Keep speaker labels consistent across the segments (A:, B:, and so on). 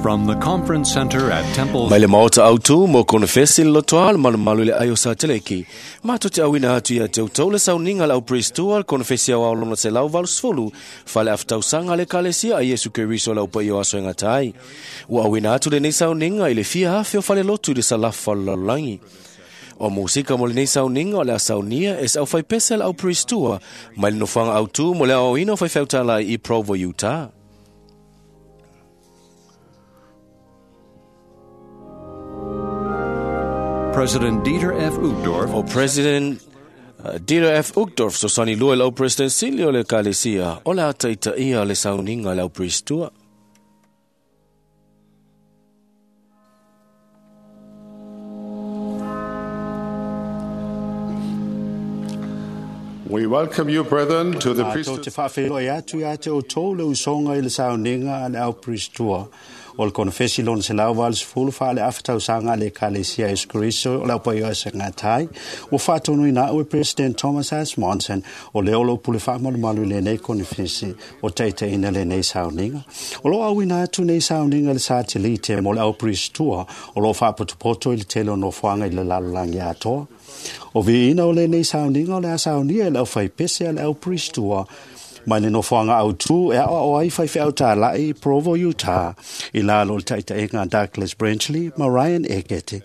A: From the Conference Center at Temple
B: Mai le maota autu mo konefesi le lotoa le malumalu i le ai o Sateleki. Matou te auina atu ia te outou le sauniga a le au Priestua le konefesi aoao lona 180 fale aftausaga le Ekalesia a Iesu Keriso le au paia o aso e gata ai. Ua auina atu lenei sauniga i le fia afe o falelotu i le salafa o le lalolagi. O musika mo lenei sauniga o le a saunia e se aufaipese a le au Priestua mai le nofoaga autu mo le aoaoina o faifeau i Provo, Utah.
A: President Dieter F. Uchtdorf,
B: O President Dieter F. Uchtdorf sosani lua i lau President sili o le Ekalesia o le a taitaia le sauniga a le au Priestua.
C: We welcome you, brethren, to the
D: Mātou
C: priesthood.
D: te whaawhenoi atu ia te o tō le usonga i le sauniga a le au Priestua. O le konefesi lona se lau vale sefulu wha le awhatausaga a le Ekalesia Iesu Keriso o le au paia o se ngatai. Ua whaatonui nā ue President Thomas S. Monson o le olo pule whaamalumalu i lenei konefesi o teite ina lenei sauniga. O lo au ina atu nei sauniga le sa te lite mo le au Priestua o lo whaapotopoto i le tele o nofoanga i le lalolagi atoa. O viina o lenei sauniga o le a saunia e le au whaipese a le au Priestua mai le nofoaga autū e aoao ai faifeau tāla'i i Provo, Utah, i lalo o le taitaʻiga a Douglas Brenchley ma Ryan Ekete,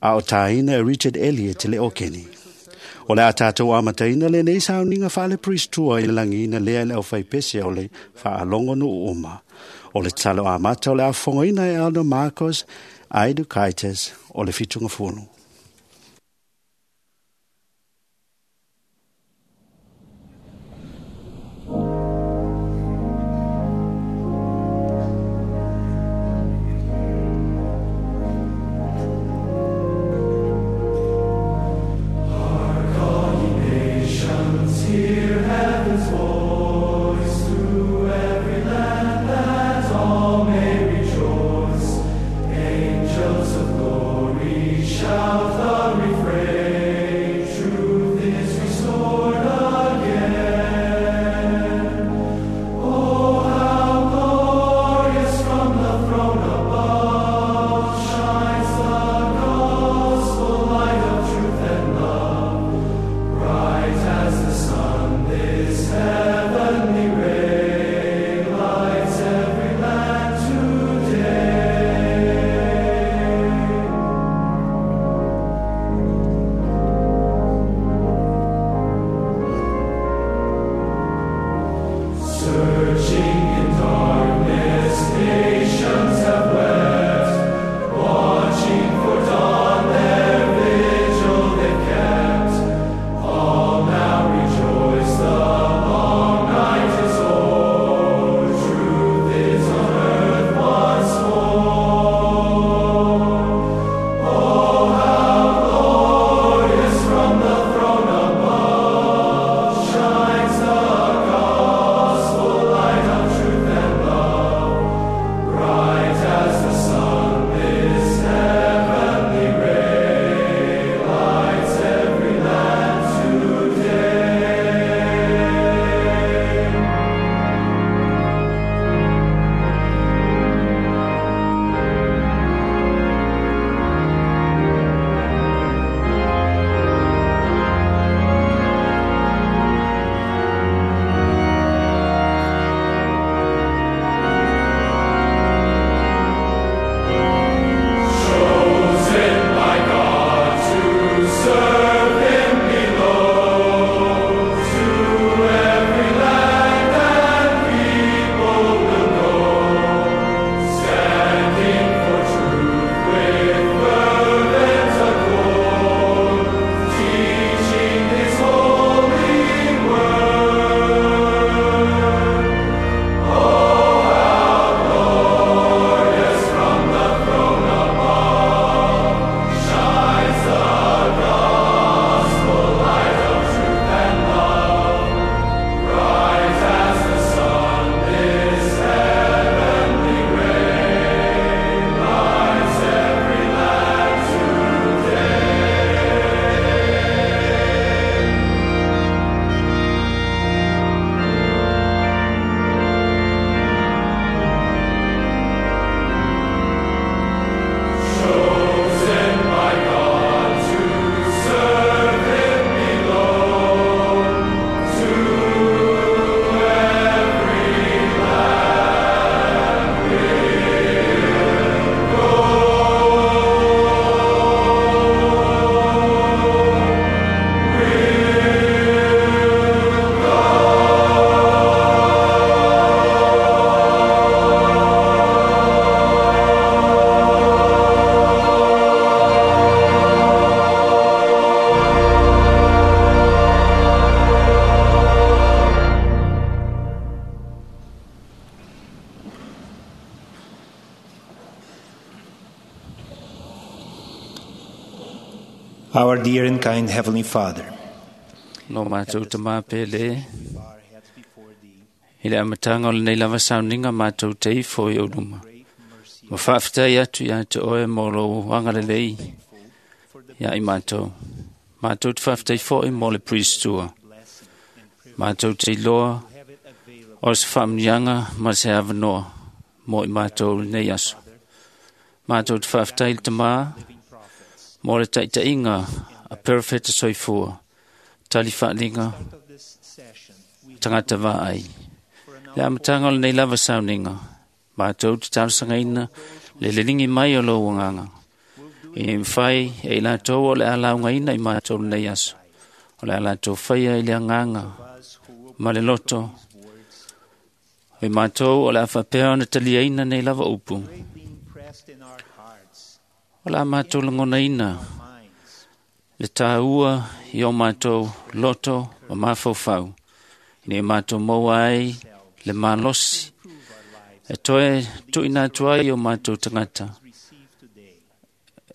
D: a o tāina e Richard Elliott le Okeni. O le a tātou amataina lenei sauniga faale-Priestua i le lagiina lea e le aufaipese o le faalogo nuu uma. O le tatalo amata o le afofogaina e Elder Marcos Aidukaitis o le Fitugafulu.
E: Angels of glory shout Our dear and kind Heavenly Father,
C: Lo mātou te māpele, i le amatanga o lenei lava sauniga mātou te ifo i ou luma. Ma faafetai atu ia te oe mo lou agalelei ia i mātou. Mātou te faafetai foi mo le Priestua. Mātou te iloa o se faamuniaga ma se avanoa mo i mātou lenei aso. Mātou te faafetai le tamā mo le taitaiga a perofeta soifua, tali faaliga, tagata vaai. Le amataga o lenei lava sauniga, mātou te talosagaina le leligi mai o lou agaga. Ina ia mafai e i latou o le a laugaina i mātou lenei aso, o le a latou faia i le agaga ma le loto. O i mātou o le a faapea ona taliaina nei lava upu. O le a mātou lagonaina le tāua i o mātou loto ma mafaufau, ina ia mātou maua ai le malosi e toe tuuina atu ai i o mātou tagata,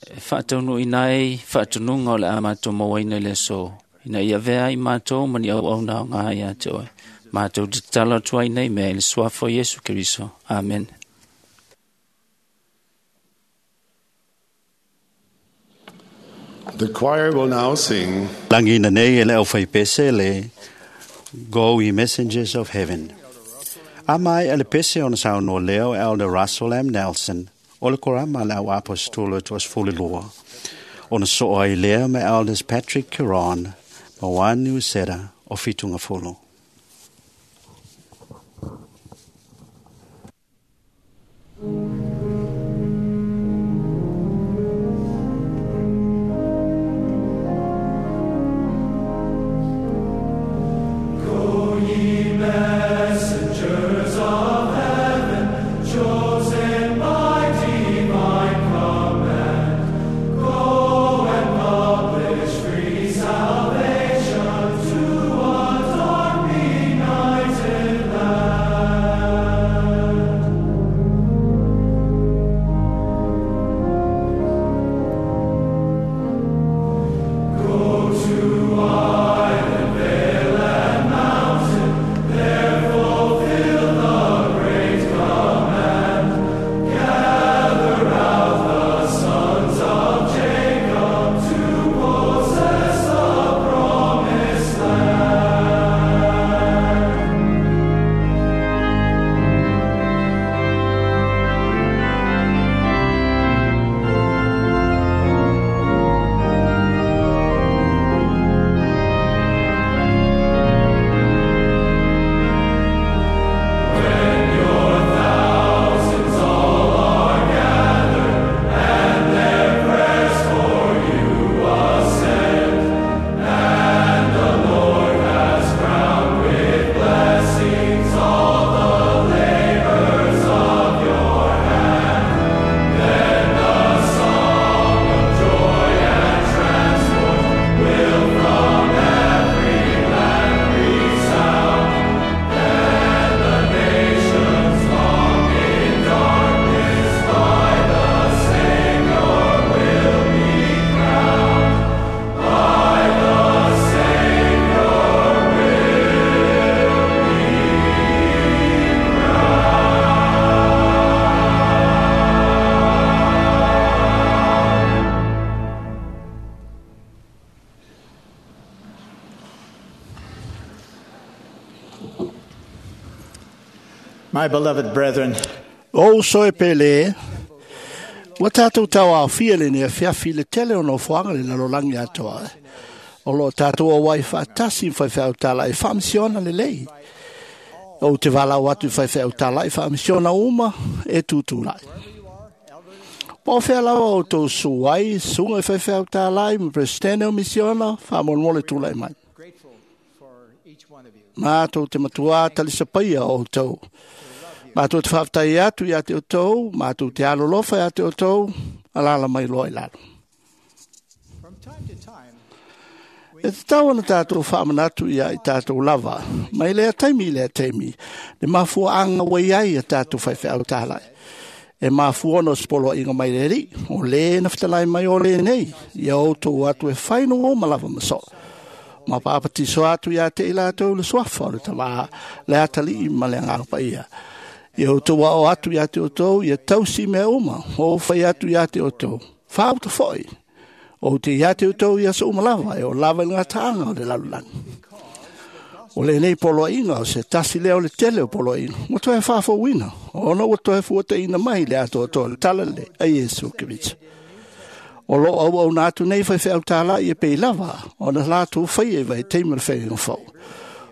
C: e faataunuuina ai faatonuga o le a mātou mauaina i le aso, ina ia avea ai mātou ma ni auauna aoga ia te oe. Mātou te tatalo atu ai nei mea i le suafa o Iesu Keriso. Amen.
F: The choir will now sing
D: Lagina nei e le aufaipese le Go Ye Messengers of Heaven. A mai a le pese ona saunoa lea o Elder Russell M. Nelson, o le korama a le au aposetolo toasefululua. Ona soo ai lea ma Elders Patrick Caron ma Wani Usera o Fitungafolo.
E: Go ye messengers of heaven, chosen by divine command, go and publish free salvation to a dark benighted land. Go to island, vale, and mountain, there fulfill the great command. Gather out the sons of Jacob to possess the promised land. When your thousands all are gathered and their prayers for you ascend, and the Lord has crowned with blessings all the labors of your hand, then the song of joy and transport will from every land resound. Then the nations long in darkness by the Savior will be crowned. By the Savior will be crowned.
G: My beloved brethren,
H: O uso e pele, ua tātou tau aofia lenei afiafi i le tele o nofoaga le lalolagi atoa. O loo tātou auai faatasi ma faifeau tala'i faamisiona lelei. Ou te valaau atu i faifeau tala'i faamisiona uma e tutula'i. Po o fea lava outou su ai, suga i faifeau tala'i ma peresetene o misiona, faamolemole tula'i mai. Matou te matuā talisapaia o outou. Matou te faafetai atu ia te outou, matou te alolofa ia te outou, alala mai loa i lalo. E tatau ona tātou faamanatu ia i tātou lava, mai lea taimi i lea taimi, le mafuaaga ua iai a tātou faifeau tālai. E mafua ona o se poloaiga mai le Alii, o lē na fetalai mai o lenei, ia outou atu e fai nogoma lava ma soo. Ma papatiso atu ia te i latou le suafa o le Tamā, le Atalii ma le Agaga Paia. Ia outou ao atu ia te outou, ia tausi mea uma, o fai atu ia te outou. Faauta foi, ou te ia te outou ia so uma lava, e o lava i le gataaga o le lalolagi. O lenei poloaiga o se tasi lea o le tele o poloaiga, ua toe faafouina, ona ua toe fuataina mai le atoatoa o le Talalelei a Iesu Keriso. O loo auauna atu nei faifeau tālai e pei lava ona latou faia i vaitaimi o le faiga fou.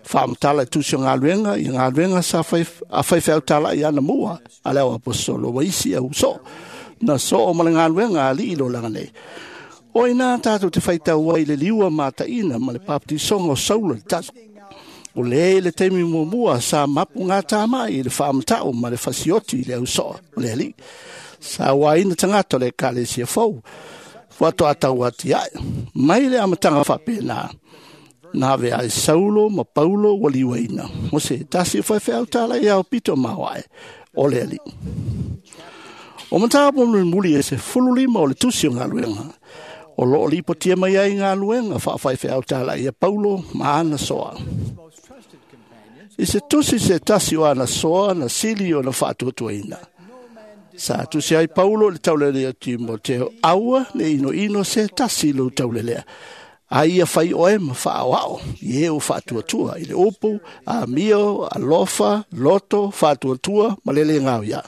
H: Faamatala i tusi o galuega i galuega sa fai, a faifeau tālai anamua a le au aposolo wa isi au soo na soo ma le galuega a alii lolaga nei. O ina tātou te faitau ai le liua mataina ma le papatisoga o Saulo le taso. O le le taimi muamua sa mapu ngā tāmai i le whaamatau ma le fasioti i le au soa o le alii. Sa uaina tagata o le ekalesia fou. Faatoa tau atiae. Mai le amataga faapena. Na ave ai Saulo ma Paulo ua liuaina. O se tasi o faifeau tālai ao pito maoae o le alii. O mataupu mulimuli e 15 o le tusi o galuega. O loo lipotia mai ai galuega faafaifeau tālai a Paulo ma ana soa. I se tusi se tasi o ana soa na sili o na faatuatuaina. Sa tusi ai Paulo i le taulelea o Timoteo, aua le inoino se tasi lou taulelea. A ia fai oe ma faaoao, i e o faatuatua i le upu, amio, alofa, loto, faatuatua, ma le le ngau ia.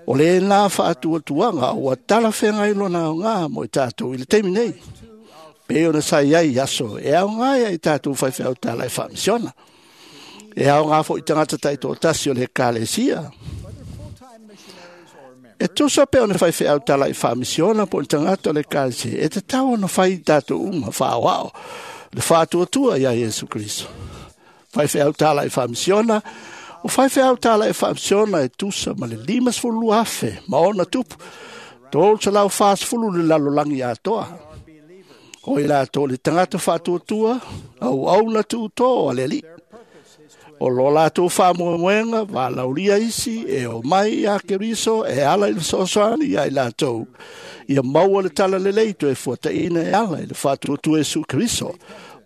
H: O le nā faatuatuaga ua talafeagai lona aoga mo i tātou i le taimi nei. Pe ona sa i ai i aso e aoga ai i tātou faifeau tālai faamisiona. E aoga foi tagata taitoatasi o le ekalesia. E tusa pe ona faifeau tālai faamisiona po o le tagata o le ekalesia. E tatau ona fai i tātou uma faaoao le faatuatua ia Iesu Keriso. Faifeau tālai faamisiona, o faifeau tālai faamisiona e tusa ma le 52,000 ma ona tupu. 340 le lalolagi atoa. O i latou le tagata faatuatua, auauna tuutō a le Alii. O lo latou faamoemoega, valaulia isi, e o mai ia Keriso, e ala i le fesoasoani ia i latou. Ia maua le talalelei toe fuataina e ala i le faatuatua Iesu Keriso,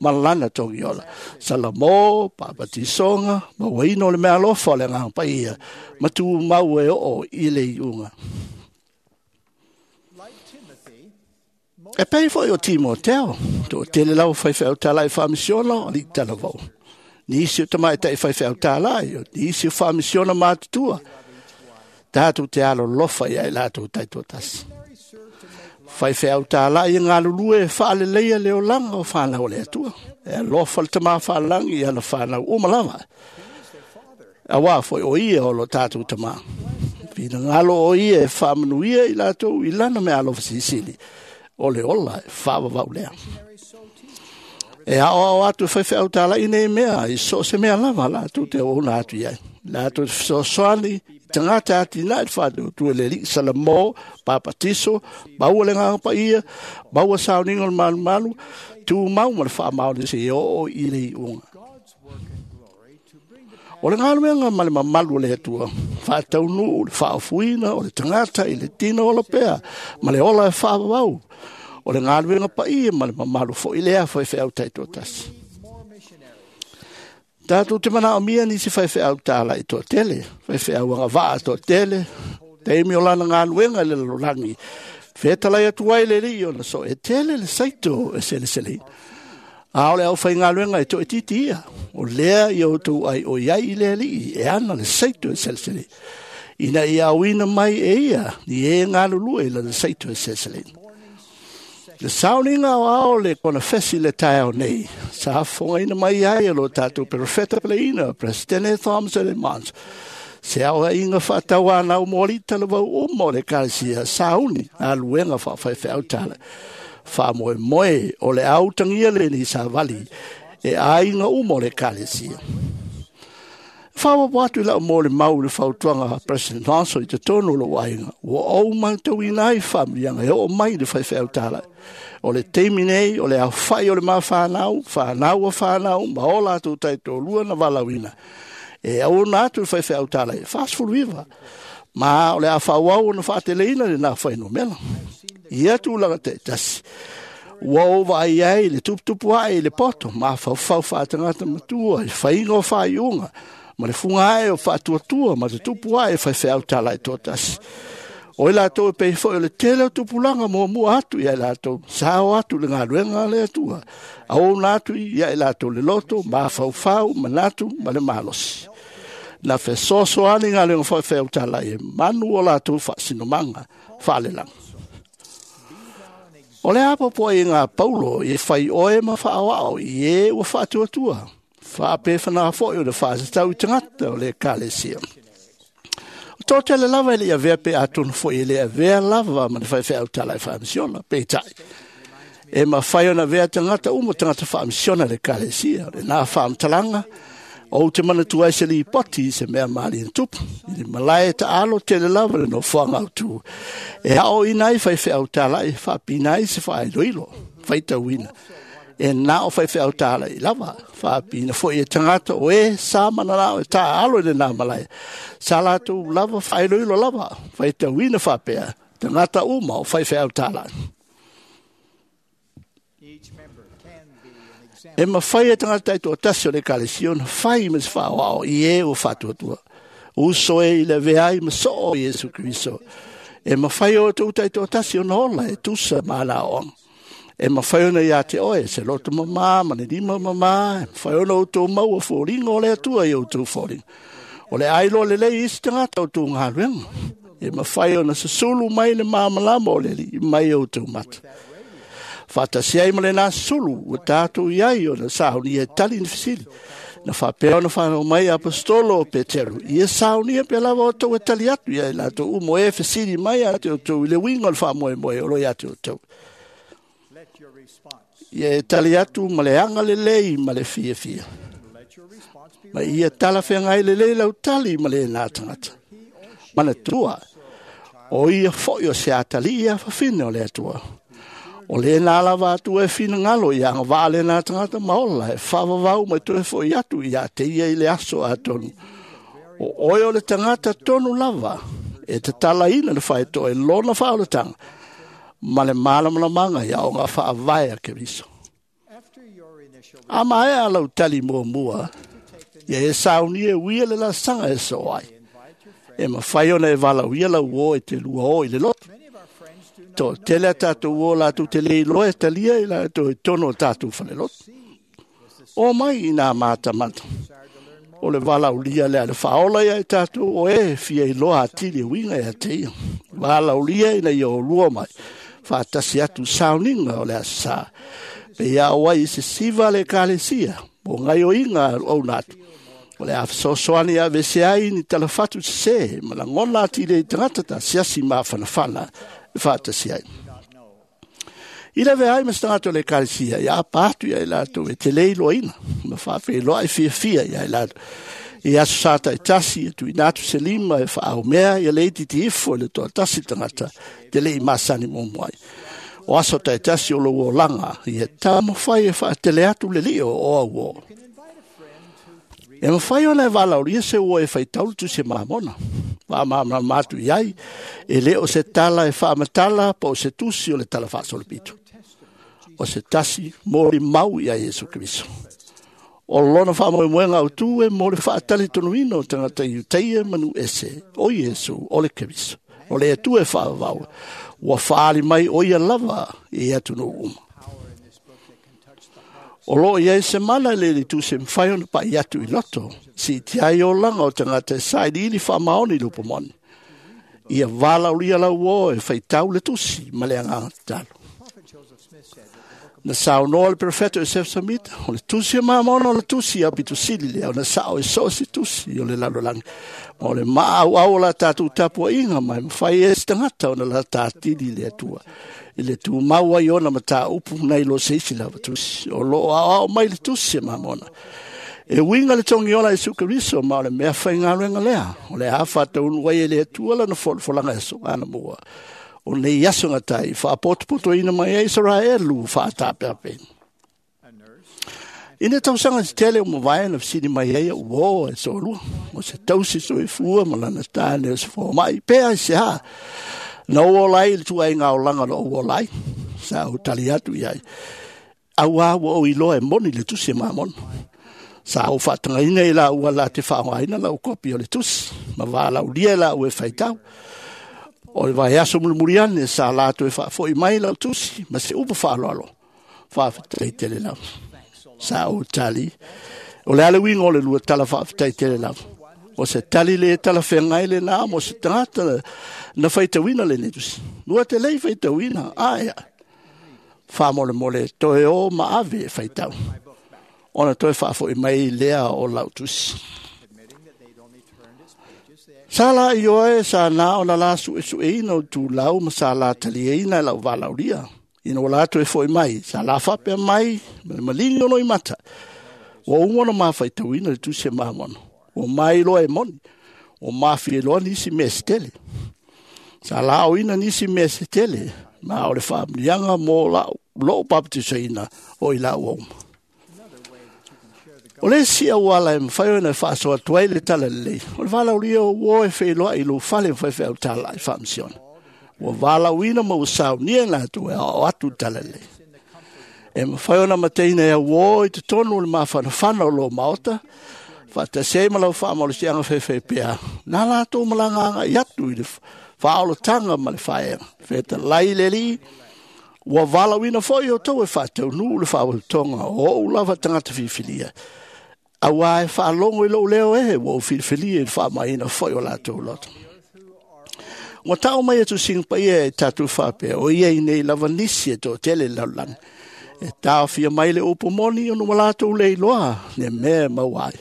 H: ma lana togiola. Salamo, papatisoga, mauaina o le meaalofa o le Agaga Paia, ma tumau e oo i le iuga. E pei foi o Timoteo, toatele lava faifeau tālai faamisiona o alii talavou. Nisi o tamaitai faifeau tālai, o nisi o faamisiona matutua. Tātou te alolofa ia i latou taitoatasi. Faifeau tālai e galulue e faaleleia le olaga o whanau o le Atua. E alofa le tamā whaalangi i ana whanau uma lava. Auā foi o ia o lo tātou tamā. Finagalo o ia e faamanuia i latou i lana meaalofa silisili. O le ola e faavavau lea. E aoao atu e faifeau tālai nei mea, i so se mea lava latou te auauna atu i ai. Latou te fesoasoani, i tagata atinae le faatuatua i le Alii, Salamo, papatiso, maua le Agaga Paia, maua sauniga o le malumalu, tumau ma le faamaoni seia oo i le iuga. O le galuega ma le mamalu o le Atua, faataunuu le faaofuina o le tagata i le tino ola pea ma le ola e faavavau. O le galuega paia ma le mamalu foi lea faifeau taitoatasi. Tātou te manaomia nisi faifeau tālai toatele, faifeau agavaa toatele, taimi o lana galuega i le lalolagi. Fetalai atu ai le Alii ona so e tele le saito e seleseleina. A o le aufaigaluega e toaitiiti ia, o lea ia outou ai o iai i le Alii e ana le saito e seleseleina. Ina ia auina mai e ia ni e galulue i lana saito e seleseleina. Le sauniga o ao le konefesi le taeao nei, sa fogaina mai ai e lo tātou perofeta peleina, Presidente Thomas L. Mons. Se aoaiga faatauanau mo alii talavou uma o le ekalesia, sauni galuega faafaifeau tala. Faamoemoe o le autagia lenei savali e aiga uma o le ekalesia. Faaopoopo atu i lau mo le mau i le fautuaga a President Monson i totonu o lou aiga, ua ou matauina ai faamanuiaga e oo mai i le faifeau tālai. O le taimi nei, o le aofai o le mafanau, fanau a fanau, ma o latou taitoalua na valaauina. E auauna atu i le faifeau tālai e 49, Ma o le a faaauau ona faateleina lenā fuainumera. Ia tulaga taitasi, ua ou vaai ai i le tuputupu ae i le poto mafaufau faatagata matua i faiga o faaiuga ma le fuga ae o faatuatua ma te tupu ae faifeau talai toatasi. O i latou e pei foi o le tele o tupulaga muamua atu ia i latou, sao atu le galuega a le Atua, auauna atu ia i latou le loto, mafaufau, manatu ma le malosi. Na fesoasoani galuega faifeau talai e manu o latou faasinomaga faalelagi. O le apoapoaiga a Paulo i e fai oe ma faaoao i e ua faatuatua, faapefana foi o le faatatau i tagata o le ekalesia. O toatele lava e le i avea pe atonu foi e le avea lava ma le faifeau talai faamisiona, peitai. E mafai ona avea tagata uma tagata faamisiona i le ekalesia. O lenā faamatalaga, ou te manatua ai se lipoti i se mea malie na tupu, i le malae taalo tele lava le nofoaga autu, e aoaoina ai faifeau talai e faapina ai se faailoilo, faitauina. E na o faifeau talai lava, faapina foi e tagata o e sa mananao e taalo i lenā malae, sa latou lava faailoilo lava, faitauina faapea, tagata uma o faifeau talai. E mafai e tagata taitoatasi o le ekalesia ona fai ma se faaoao i e ua faatuatua. Uso e i le avea ai ma soo o Iesu Keriso. E mafai o outou taitoatasi ona ola e tusa ma ana aoaoga. E mafai ona ia te oe se loto mamā ma le lima mamā, e mafai ona outou maua foliga o le Atua i outou foliga. O le a iloa lelei isi tagata o outou galuega. E mafai ona susulu mai le malamalama o le Alii mai outou mata. Faatasi ai ma lenā sulu ua tatou i ai ona saunia e tali ni fesili. Na faapea ona fanau mai Apostolo o Peteru, ia saunia pea lava outou e tali atu ia i latou uma o e fesili mai ia te outou i le uiga o le faamoemoe o lo ia te outou. Ia e tali atu ma le agalelei ma le fiafia. Ma ia talafeagai lelei lau tali ma lenā tagata. Manatua, o ia foi o se atalii afafine o le Atua. O lenā lava Atua e finagalo ia agavaa lenā tagata ma ola e faavavau ma toe foi atu ia te ia i le aso atonu. O oe o le tagata tonu lava e tatalaina le faetoa i lona faaolataga ma le malamalamaga i aoga faavae a Keriso. A maea lau tali muamua, ia e saunia e uia le laasaga e soo ai. E mafai ona e valaaulia lau uo e te lua o i le lotu. Toatele a tatou uo latou te le iloa e talia i latou i totonu o tatou falelotu. O mai i nā matamata. O le valaaulia lea le faaola ia i tatou o e fia iloa atili e uiga ia te ia. Valaaulia ina ia olua mai, faatasi atu sauniga o le Aso Sa. Pe ia o ai i se siva a le ekalesia, mo gaoioiga a auauna atu. O le a fesoasoani e aveese ai ni talafatu sesē ma lagona atili ai i tagata tasiasi mafanafana e faatasi ai. I le avea ai ma se tagata o le ekalesia, ia apa atu ia i latou e te le iloaina, ma faafeiloai fiafia ia i latou. I aso sa taitasi, e tuuina atu se lima e faaaumea ia le itiiti ifo i le toatasi tagata te le i masani muamua ai. O aso taitasi o lou olaga, ia taumafai e faatele atu le lio o auo. E mafai ona e valaaulia se uo e faitau le tusi a Malamona. Faamalamalama atu i ai, e le o se tala e faamatala po o se tusi o le tala faasolopito. O se tasi molimau ia Iesu Keriso. O lona faamoemoega autu e mo le faatalitonuina o tagata Iutaia ma nuu ese, o Iesu o le Keriso. O le Atua e faavavau, ua faaali mai o ia lava i atunuu uma. O loo i ai se mana i le tusi e mafai ona pa'i atu i loto, siitia ai olaga o tagata e sailiili faamaoni i le upu moni. Ia valaaulia lau uo e faitau le tusi ma le agaga tatalo. Na saunoa le perofeta Iosefo Samita, o le tusi a Mamona o le tusi aupito sili lea ona sao e so o se tusi o le lalolagi. Ma o le maauau o la tatou tapuaiga ma e mafai e se tagata ona lata atili i le Atua. I le tumau ai ona mataupu nai lo se isi lava tusi. O loo aoao mai le tusi a Mamona. E uiga le togiola a Iesu Keriso ma o le mea faigaluega lea. O le a faataunuu ai e le Atua lana folafolaga e aso anamua. O nei aso gatai faapotopotoina mai ai Isaraelu faatapeapeina. I nei tausaga tetele ua mavae na fesili mai ai a'u uō e soalua o se tausi soifua ma lana tane o se foma'i pe aiseā na ou ola ai i le tu'aiga olaga na ou ola ai. Sa ou tali atu i ai, auā ua ou iloa e moni le tusi e Mamona. Sa ou fa'atagaina i la'ua la te fa'aogaina la'u kopi o le tusi ma valaulia e la'u e faitau. O le vaiaso mulimuli ane sa latou e fa'afo'i mai la'u tusi ma se upu fa'aloalo, fa'afetai tele lava. Sa ou tali, o le a le uiga o le lua tala fa'afetai tele lava? O se tali lē talafeagai lenā mo se tagata na faitauina lenei tusi. Lua te lei faitauina ae faamolemole toe o ma ave e faitau ona toe faafo'i mai lea o lau tusi. Sa la ioe sa na ona la su'esu'eina o tulau ma sa la taliaina e la'u valaulia. Ina ua la toe fo'i mai, sa la faapea mai ma le maligi o loimata, ua uma ona mafaitauina le tusi e Mamona. Ua mailoa e moni, ua mafie loa nisi mea se tele. Sa la aoina nisi mea se tele, ma o le faamuliaga mo la'u lo'u papatisaina o i la'u uma. O le isi auala e mafai ona e faasoa atu ai le tala lelei, o le valaulia o uō e feiloa'i i lou fale ma faifeau tala'i faamisiona. Ua valauina ma ua saunia i latou e aoao atu le tala lelei. E mafai ona mateina e auō i totonu o le mafanafana o lō maota, faatasi ai ma lau faamalosiaga faifai pea, na latou malaga aga'i atu i le faaolotaga ma le faaega. Fetalai le Alii, ua valauina fo'i outou e faataunuu le faaulutoga o o'u lava tagata filifilia. Auā e faalogo i lo'u leo e ua ou filifilia i le faamaina fo'i o latou loto. Ua ta'u mai e tusiga paia e tatou faapea, o ia i nei lava nisi e to'atele le lalolagi. E taofia mai le upu moni ona ua latou le iloa le mea e maua ai.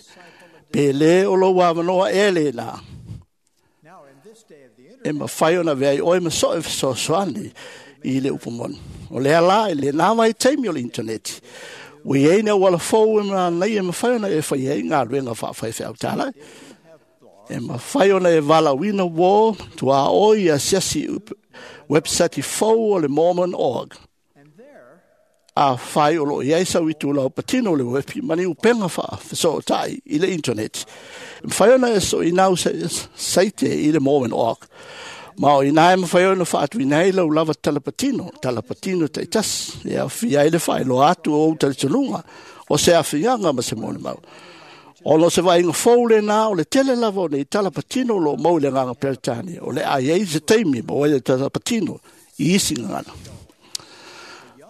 H: Pe lē o lou avanoa ea lēnā e mafai ona avea ai oe ma so'e fesoasoani i le upu moni. O lea la i lenā vaitaimi o le initaneti, ua iai ni auala fou e manaia e mafai ona e faia ai galuega faafaifeau talai. E mafai ona e valauina uō tuaoi asiasi website fou o le Mormon org. Afai o loo i ai sau itulau patino o le wepi ma ni upega faafesootai i le internet, e mafai ona e so'inau saite i le Mormon org. Ma o inā e mafai ona faatuina ai lau lava talapatino, talapatino ta'itasi, e aofia ai le faailoa atu o ou talitonuga o se afiaga ma se molimau. Ona o se vaaiga fou lenā o le tele lava o nei talapatino o loo mau i le agaga Peretania, o le a i ai se taimi ma ai le talapatino i isi gagana.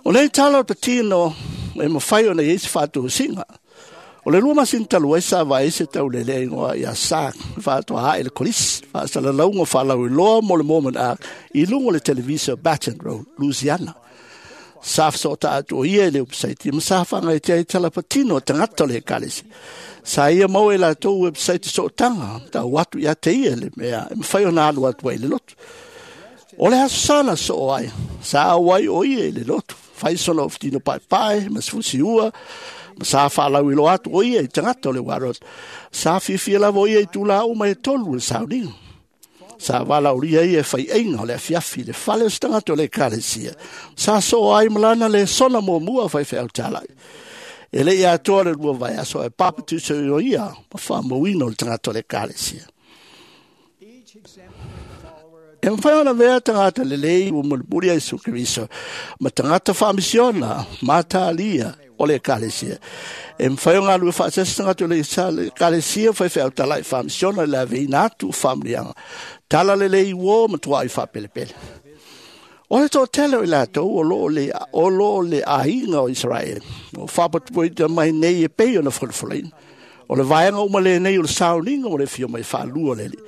H: O nei tala o patino e mafai ona i ai se faatosiga. O le 2 masina talu ai sa vaai se taulelea igoa ia Sak faatoa ae le kolisi faasalalauga faalauiloa mo le Mormon Ark i luga o le televisa Baton Rouge, Louisiana. Sa fesoota atu o ia i le website ma sa faagaitia ai talapatino a tagata o le ekalesia. Sa ia maua e latou website sootaga tau atu ia te ia le mea e mafai ona alu atu ai i le lotu. O le aso sa na soo ai, sa auai o ia i le lotu, fai sona ofutino paepae ma se fusiua, ma sa faalauiloa atu o ia i tagata o le warot. Sa fiafia lava o ia i tulā uma e tolu o le sauniga. Sa valaulia ia e fai'aiga o le afiafi i le fale o se tagata o le ekalesia. Sa soo ai ma lana lesona muamua faifeau tala'i. E le'i atoa le 2 vaiaso ae papatuso o ia ma faamauina o le tagata o le ekalesia. E mafai ona avea tagata lelei ua mulimuli a Iesu Keriso ma tagata faamisiona matalia o le ekalesia. E mafai ona galue faatasi tagata o le ekalesia faifeau tala'i faamisiona i le aveina atu o faamuliaga tala lelei uō ma tua'i faapelepele. O le to'atele o i latou o loo le aiga o Isaraele o faapatupuaita mai nei e pei ona folafolaina. O le vaega uma lenei o le sauniga mo le afio mai faalua o le Alii.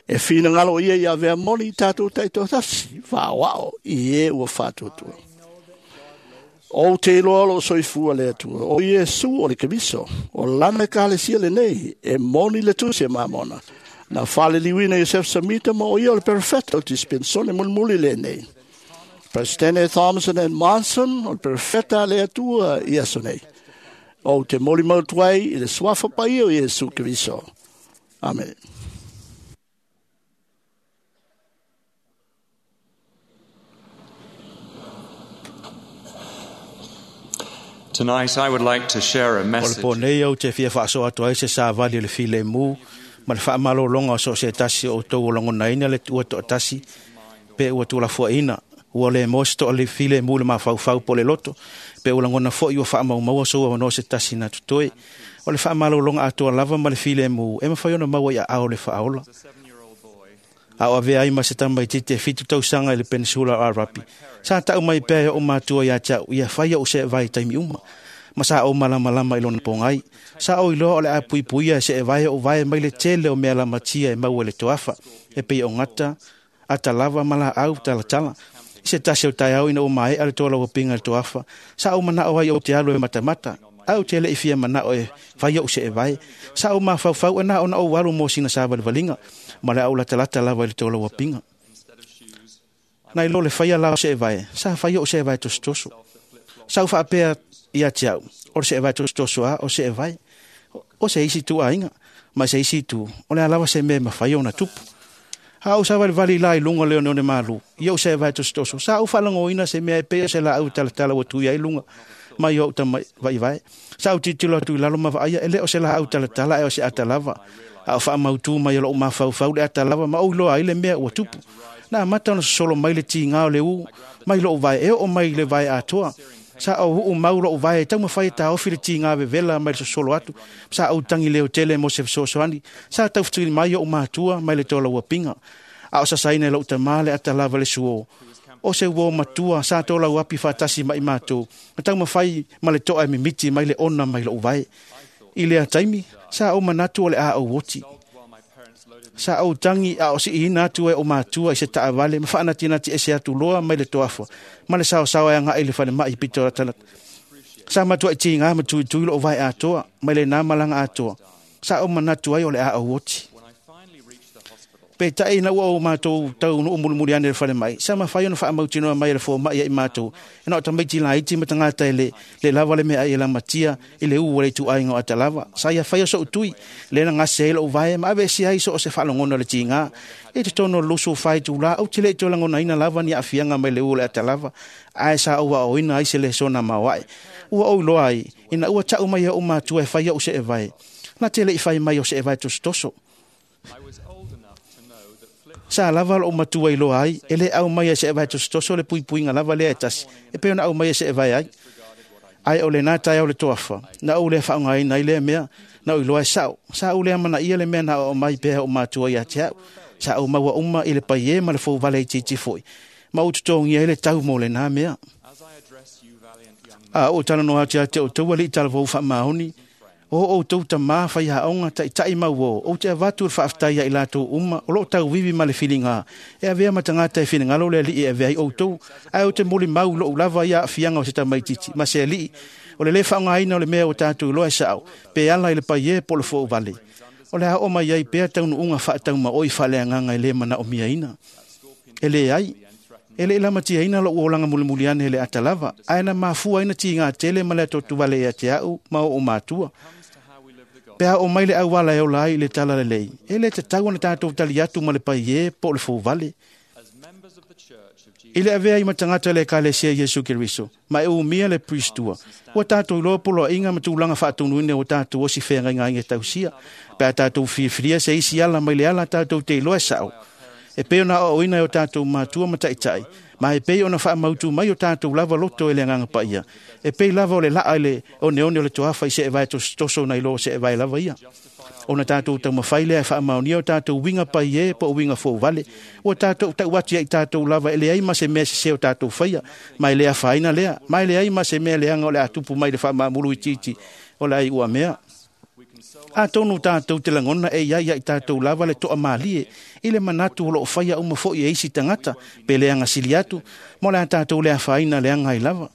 H: E finagalo ia ia avea moni i tatou ta'itoatasi faaoa'o i e ua faatuatua. Ou te iloa o loo soifua le Atua, o Iesu o le Keriso, o lana ekalesia lenei, e moni le tusi e Mamona. Na faleliuina Iosef Samita ma o ia o le perofeta o dispensone mulimuli lenei. Presidente Thompson and Monson o le perofeta a le Atua i aso nei. Ou te molimau atu ai i le suafa paia o Iesu Keriso. Amene.
A: Tonight I would like to share a
B: O le
A: message
B: po nei au te fia faasoa atu ai se savali o le filemu ma le faamalologa o so o se tasi o outou o lagonaina le ua toatasi pe ua tulafoaina ua le mo se toa le filemu le mafaufau po le loto pe ua lagona fo'i ua faamaumaua sou avanoa se tasi na totoe. O le faamalologa atoa lava ma le filemu e mafai ona maua i aao le faaola. A o avea ai ma se tamaititi e 7 tausaga i le penisula o Arapi. Sa tau mai pea e o matua ia te au, ia fai au se vai taimi uma. Ma sa o malamalama i lona pogai. Sa o iloa o le a puipuia e se e vai o vai mai le tele o mea lamatia e maua i le toafa. E pei o gata, ata lava ma la au talatala. I se tasi o taeao ina ua maea le toa lauapinga i le toafa. Sa o manao ai o te alu e matamata. Au te le i fia manao e fai au se e vai. Sa o mafaufau e na ona ou alu mo sina savalivaliga. Ma le au latalata lava i le toa lauapinga. Nai lo le faia lao se e vai. Sa fai au se e vai tosotoso. Sa u faapea ia te au. O le se e vai tosotoso a o se e vai. O se isi tu ainga. Ma se isi tu. O le alawa se mea mawhai ona tupu. A o sa valivali la i lunga leo ne malu. Ia o se e vai tosotoso. Sa u whalangoina se mea e pea se la au talatala ua tui ai lunga. Mai o uta vai vai. Sa u titilo atu i lalo ma vaaya e le o se la au talatala e o se atalava. A o whaamautu mai o lou mafaufau le atalava ma o iloa ai le mea ua tupu. Na mata ona sosolo mai le tīngā o le u, mai lou vai e o mai le vai atoa. Sa o huu mau lou vai e taumafai e taofi le tīngā vevela mai le sosolo atu. Sa o tangi leo tele mo se fesoasoani. Sa taufetuli mai o matua mai le tola uapinga. A o sasaina e lou tamā le atalava le suo. O se uo matua sa tola uapi whaatasi mai mātou. Ma taumafai ma le toa e mimiti mai le ona mai lou vai. I lea taimi, sa o manatu o le a o oti. Sa o tangi a o si ina atu e o matua i se taavale, ma whaanatinati e se atu loa mai le toafa. Ma le sao sao e anga i le whale mai pito ratalat. Sa matua i tīngā ma tui tui lo o vai atoa, mai le nā malanga atoa. Sa o manatu ai o le a o oti. Pe tai na ua o mātou tau no umulimuli ane le whale mai. Sa mawhai ona whaamautinoa mai le fō mai e i mātou. E na o tamaiti la iti matangata e le lava le mea i la matia i le ua le tu ainga o atalava. Sa ia whai o so utui le na ngase e lo uvae ma ave si ai so o se whaalongona le tīngā. E te tono lusu whai tū la au tile i tō langona ina lava ni afianga mai le ua le atalava. Ae sa ua o ina ai se le sona mawai. Ua o iloa ai ina ua tau mai e o mātua e whai au se e vai. Na tele i whai mai o se e vai tosotoso. Sa lava lo matua i loa ai, e le au mai e se e vai tosotoso le puipuinga lava lea e tasi, e pe ona au mai e se e vai ai. Ai o le nā tai au le toafa, na au le whaongaina i lea mea, na o i loa e sao. Sa au lea mana ia le mea na o mai pea o matua i a te au. Sa au maua uma i le pai e ma le fau vale i titi foi. Ma u tutongia i le tau mō le nā mea. A o tala no ati a te o taua li tala vau wha maoni. O o tau tamā whai haonga tai tai mau o. O te avatu le whaaftai i lātou uma. O lo tau wiwi ma le whilinga. E avea matangata e whilingalo le li e avea i o tau. Ai o te moli mau lo ulava ia whianga o se tamaititi. Ma se li. O le le whaongaina o le mea o tātou loa e sao. Pe ala i le pai e po le fo vale. O le hao mai ai pea tau nuunga whaatau ma oi whalea nganga i le mana o miaina. E le ai. E le lamatia ina lo uolanga mulimuliane le atalava. Ae na mafua ina tīngā tele ma le atotu vale ia te au ma o mātua. Pea o mai le auala e ola ai le tala lelei. E le te tau ana tātou tali atu ma le pai e po le fau vale. I le avea i matangata le ekalesia Iesu Keriso. Ma e umia le pristua. Ua tātou iloa polo inga ma tūlanga whaatunuine o tātou osi whenga inga inga tausia. Pea tātou whiawhiria se isi ala mai le ala tātou te iloa e sao. E peo na o ina o tātou mātua ma taitai. Ma e pei ona whaamautu mai o tātou lava loto e le nganga paia. E pei lava o le laa le o neone o le toafa i se e vai toso na ilo se e vai lava ia. Ona tātou taumawhai lea e whaamaonia o tātou winga pai e po o winga fō vale. O tātou tau atu i tātou lava e le ai ma se mea se o tātou whaia. Ma e lea whaina lea. Ma e le ai ma se mea leanga o le atupu mai le whaamamuru i titi o le ai ua mea. A tonu tātou te langona e ia i tātou lava le toa malie i le manatu o loo whaia uma foi e isi tangata pe leanga sili atu mo le a tātou le awhaina leanga i lava.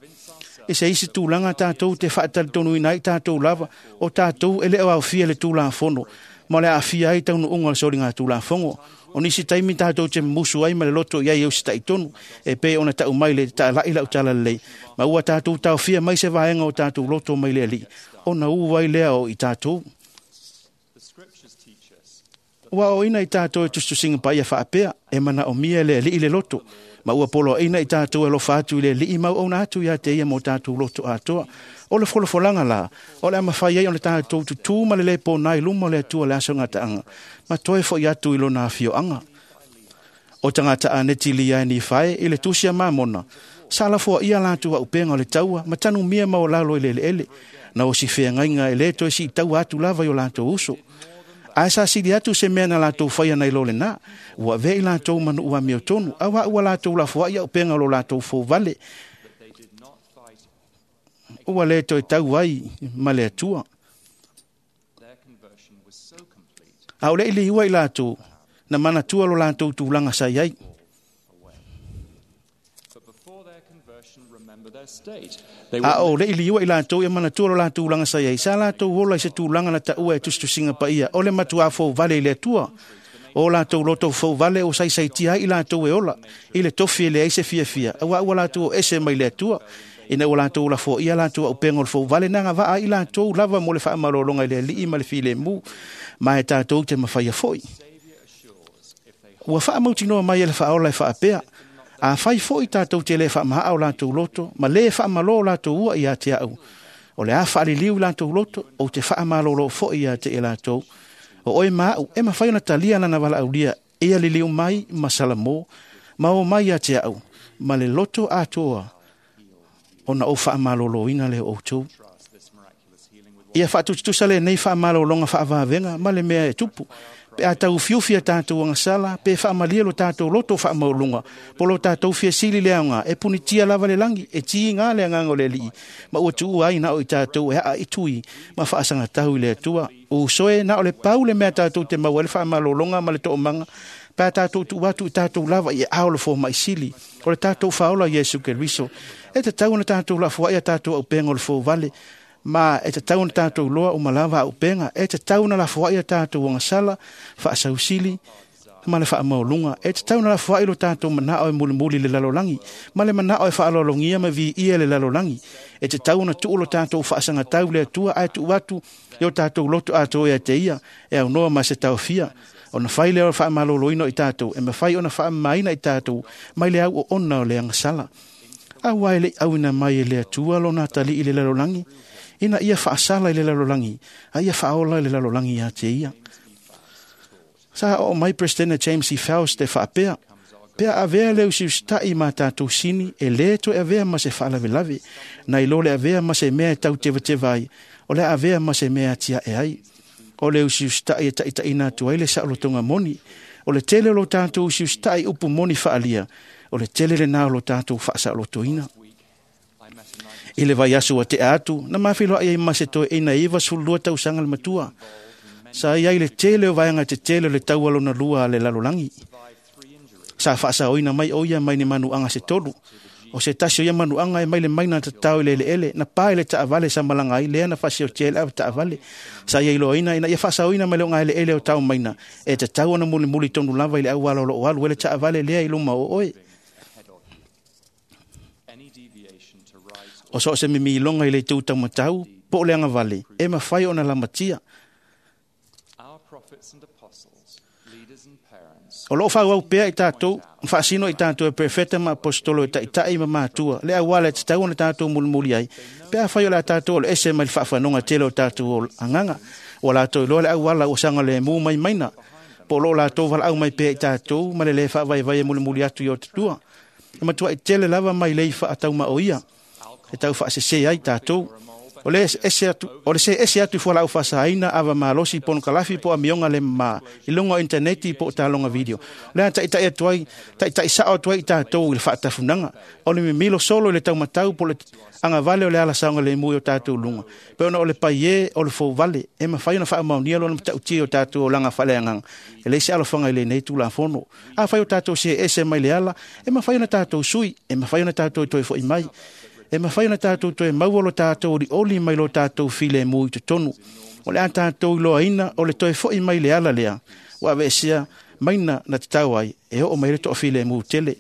B: E se isi tūlanga tātou te whaatali tonu ina i tātou lava o tātou e leo au fia le tūlāfono mo le awhia ai taunu unga le sori ngā tūlāfongo. O nisi taimi tātou te musu ai ma le loto iai au sita i tonu e pe ona tau mai le tā lai lau tala lei. Ma ua tātou tāwhia mai se vaenga o tātou loto mai le ali. Ona uai lea o i tātou. Ua o ina i tātou e tustusinga paia whaapea, e mana o mia le li i le loto.
D: Ma ua poloaiina i tatou e alofa atu i le Alii ma auauna atu ia te ia mo tatou loto atoa. O le folafolaga la, o le a mafai ai ona tatou tutū ma le lē pona i luma o le Atua le aso gataaga, ma toe fo'i atu i lona afioaga. O tagata aneti lia e Nifae i le tusi a Mamona, sa lafoaia latou auupega o le taua ma tanumia maualalo i le eleele, na o si feagaiga e lē toe siitaua atu lava i o latou uso. Ae sa sili atu se mea na latou faia nai lo lenā, ua avea i latou ma nuu amiotonu, auā ua latou lafoai auupega o lo latou fouvale, ua lē toe tau ai ma le Atua. A o le i liua i latou, na manatua lo latou tulaga sa i ai. A o le i liua i latou ia manatua lo latou tulaga sa i ai, sa latou ola i se tulaga na taua e tusitusiga paia, o le matuā fouvale i le Atua. O latou loto fouvale o saisaitia ai i latou e ola, i le tofi e leai se fiafia, auā ua latou o ese mai le Atua. Ina ua latou lafoaia latou auupega o le fouvale, na agavaa ai i latou lava mo le faamalologa i le Alii ma le filemu, ma e tatou te mafaia foi. Ua faamautinoa mai e le Faaola e faapea, afai foi tatou te lē faamahaa o latou loto ma lē faamalō o latou ua ia te a'u, o le a faaliliu i latou loto, ou te faamalōlō foi ia te i latou. O oe ma a'u e mafai ona talia lana valaaulia, ia liliu mai ma salamō, ma o mai ia te a'u, ma le loto atoa, ona ou faamalōlōina lea o outou. Ia faatusatusa lenei faamalōloga faavavega ma le mea e tupu, pe a tauufiufi a tatou agasala, pe faamalie lo tatou loto faamaualuga, po lo tatou fiasili le aoga, e punitia lava le lagi, e tiga le agaga o le Alii, ma ua tuua ai na o i tatou e aaitui ma faasagatau i le Atua. Uso e, na o le pau le mea tatou te maua ai le faamalōloga ma le toomaga, pe a tatou tuu atu i tatou lava i aao o le fomai sili, o le tatou Faaola Iesu Keriso. E tatau ona tatou lafoai a tatou auupega o le fouvale, ma e tatau ona tatou iloa uma lava auupega. E tatau ona lafoai a tatou agasala, faasausili ma le faamaualuga. E tatau ona lafoai lo tatou manao e mulimuli i le lalolagi, ma le manao e faaaloalogia ma viia le lalolagi. E tatau ona tuu lo tatou faasagatau i le Atua, ae tuu atu i o tatou loto atoa ia te ia, e aunoa ma se taofia. Ona fai lea o le faamalōlōina o i tatou, e mafai ona faamamaina i tatou mai le au oona o le agasala. Auā e le i auina mai e le Atua lona atalii i le lalolagi, ina ia faasala i le lalolagi, a ia faaola i le lalolagi ia te ia. Sa oo mai Peresetene James E. Faust e faapea, pe a avea le usiusita'i ma tatou sini, e lē toe avea ma se faalavelave, nai lo le avea ma se mea e tautevateva ai, o le a avea ma se mea e atiaʻe ai. O le usiusitaʻi e taʻitaʻina atu ai le saolotoga moni. O le tele o lo tatou usiusitaʻi upu moni faaalia, o le tele lenā o lo tatou faasaolotoina. I le vaiaso ua te'a atu, na mafiloa'i ai ma se toeaina e 92 tausaga le matua. Sa i ai le tele o vaega tetele o le taua lona lua a le lalolagi. Sa faasaoina mai o ia mai ni manuaga se tolu. O se tasi o ia manuaga e mai le maina tatao i le eleele, na pa i le taavale sa malaga ai, lea na faasiotia ai le ava taavale. Sa ia iloaina ina ia faasaoina mai le ogaeleele o tao maina, e tatau ona mulimuli tonu lava i le auala o loo alu ai le taavale lea i luma o oe. O so o se mimiloga i le itu taumatau, po o le agavale, e mafai ona lamatia. O loo faaauau pea i tatou, faasino i tatou e perofeta ma aposetolo e taʻitaʻi ma matua, le auala e tatau ona tatou mulimuli ai, pe afai o le a tatou o le ese mai le faafanoga tele o tatou agaga. Ua latou iloa le auala ua saogalēmū mai maina, po o loo latou valaau mai pea i tatou ma le lē faavaivai e mulimuli atu i o tatua. E matuaʻi tele lava mai lei faataumaoia e tau faasesē ai tatou. O le ese atu, o le se ese atu i fualaau faasaina, ava malosi, ponokalafi po o amioga le mamā i luga o initaneti po o taloga video. O le a taʻitaʻi atu ai, taʻitaʻi saʻo atu ai i tatou i le faatafunaga. O le mimilo solo i le taumatau po o le agavale o le ala saogalemu i o tatou luga. Pe ona o le paiē o le fouvale, e mafai ona faamaonia lona matautia i o tatou olaga faaleagaga. E leai se alofaga i lenei Tulafono. Afai o tatou see ese mai le ala, e mafai ona tatou sui, e mafai ona tatou toe fo'i mai. E mafai ona tatou toe maua lo tatou olioli mai lo tatou filemu i totonu. O le a tatou iloaina o le toe fo'i mai le ala lea, ua aveesea maina na tatau ai, e oo mai le toafilemu tele.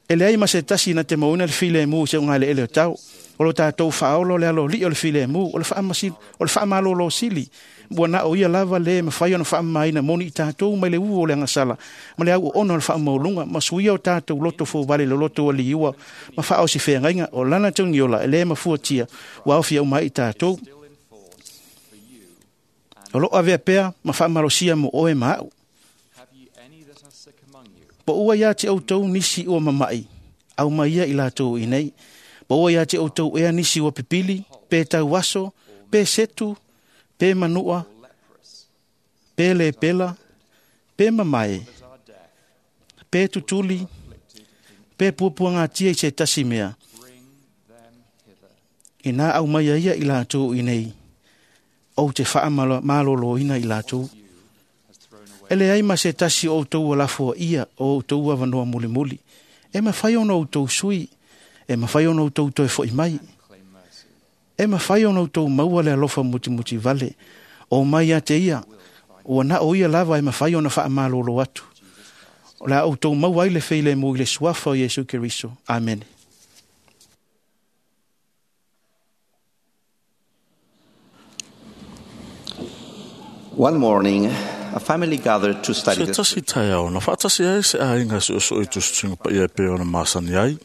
D: E leai ma se tasi na te mauina le filemu i se ogaeleele o tau.
G: O lo tātou whaolo le alo li o le file mu, o le wha whaamalolo sili. Ua na o ia lava le mawhai ona whaamaina moni i tātou mai le uu o le angasala. Ma le au o ono le whaamaulunga, ma suia o tātou loto fōvale le loto ali iua, ma wha o si whaangainga o lana tungiola e le mafuatia, ua au fia umai i tātou. O lo avea pea, ma whaamalosia mo oe maau. Po ua ia te outou nisi ua mamai, au mai ia i lātou i nei. Po ua ia te outou ea nisi ua pipili, pe tauaso, pe setu, pe manua, pe lepela, pe mamae, pe tutuli, pe puapuangatia i se tasi mea. Ina au mai ia i lātou i nei, ou te whaamaloloina i lātou. E le ai ma se tasi o outou alafoa ia o outou avanoa mulimuli. E mawhai ona outou sui, e mawhai ona outou toe foi mai. E mawhai ona outou maua le alofa mutimuti vale. O mai a te ia, ua na o ia lava e mawhai ona whaamalolo atu. O la outou maua ai le feile mo i le suafa o Iesu Keriso. Amen.
I: One morning, a family gathered to study
J: Se
I: the
J: tasi tai na whaatasi ai se ainga se oso i tusutunga pa ia pe ona masani ai.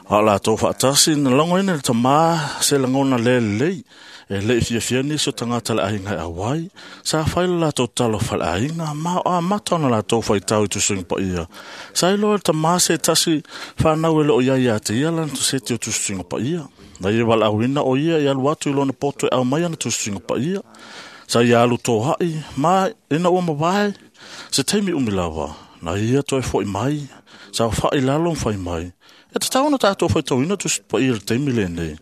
J: A la tō whaatasi na longo ina le tamā se langona le lei e le fia fia ni so tangata le ainga e awai. Sa whaila la tō talo whale ainga ma o a mata ona la tō whaitau i tusutunga pa ia. Sa ilo le tamā se tasi whanau e lo ia ia te ia lana tu se te o tusutunga pa ia. Na ia wala awina o ia i alu atu i lona poto e au mai ana tusutunga pa ia. Sa ia alu tō hai, ma ina ua mawae, se teimi umilawa, na ia toi foi mai, sa whai lalo whai mai. E te tauna tātou whai tauina tu pa ia le teimi le nei.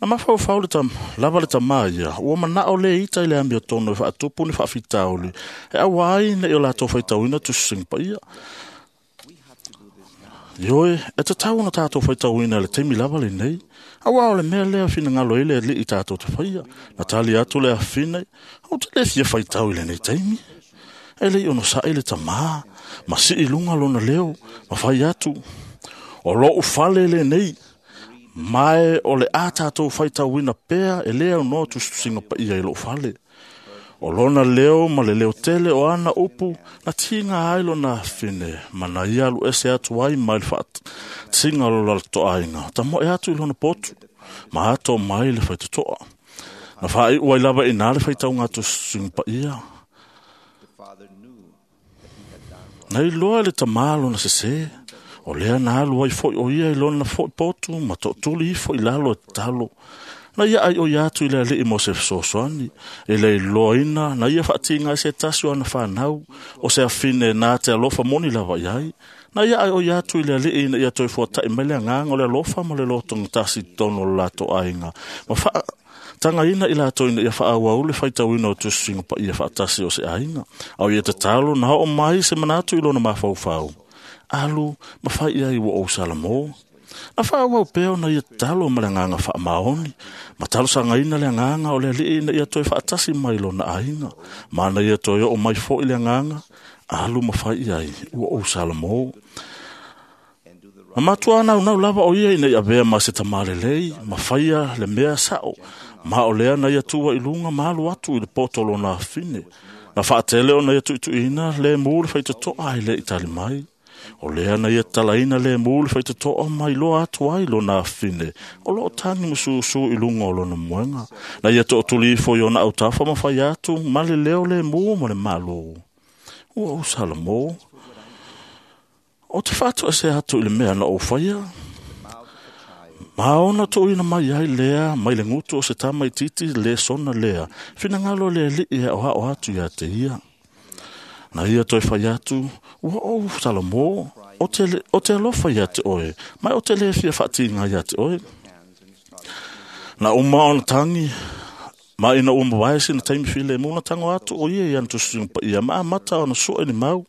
J: Na mawhau whau le tam, lava le tamā ia, ua manao le ita i le ambia tono e whaatupu ni whaafitauli. E awai ne i o lātou whai tauina tu sing pa ia. Ioe, e te tauna tātou whai tauina le teimi lava le nei. Awa o le mea lea whina ngalo ile li i tātou te whaia. Na tali atu le awhina, au te le fia whaitau i le nei teimi. E le ono sa ile tamā, ma si i lunga lona leo, ma whai atu. O lo ufale le nei, mae o le a tātou whaitauina pea e lea no tustusinga pa ia i lo ufale. O lona leo ma le leo tele o ana upu, na tinga ai lona awhine, ma na ia alu ese atu ai mai le whaat, tinga lo lalo to ainga, ta mo e atu i lona potu, ma ato mai le whaitotoa. Na whaai uai lava i nā le whaitau ngā tusunga pa ia. Na i loa le tamā lona sese, o lea na alu ai foi o ia i lona foi potu, ma to tuli ifo i lalo e talo. Na ia ai o ia atu i le alii mo se fesoasoani, e le iloaina, na ia whaatinga se tasi o ana whanau, o se awhine nā te alofa moni lava iai. Na ia ai o ia atu i le alii na ia toi fuatai mai le anganga o le alofa ma le lotonga tasi tono o lato ainga. Ma wha tanga ina i lato ina ia whaawaule whaitauina o tususinga pa ia whaatasi o se ainga. Au ia te talo na o mai se manatu i lona mawhauwhau. Alu, ma whai ia i wa o Salamo. Na whaawau peo na ia talo ma le nganga whaamaoni. Ma talo sangaina le nganga o le alii na ia toi whaatasi mai lona ainga. Ma na ia toi o mai fo i le nganga. Alu ma whai ai ua o Salamo. Ma matua nau nau lava o ia ina ia vea ma se tamale lei, ma whaia le mea sao. Ma o lea na ia tua i lunga ma alu atu i le poto lona awhine. Na whaatele o na ia tuituina le muu le whaitotoa ai le itali mai. O lea na ia talaina le muu le whaitotoa mai loa atu ai lona awhine. O loo tangi mususu i lunga o lona muenga. Na ia tootuli ifo i ona autafa ma whai atu, ma le leo le muu ma le malo. Ua o Salamo. O te whātua se atu i le mea na o whaia. Ma ona tō ina mai ai lea, mai le ngutu o se tamai titi le sona lea. Whina ngalo le li ia o hao atu ia te ia. Na ia toi whai atu, ua o Salamo, o te alofa ia te oe, mai o te le fia whaatinga ia te oe. Na uma ona tangi, ma ina uma waesi na taimi file muna tango atu o ia ia ntusunga pa ia, ma amata ona sua ni mau.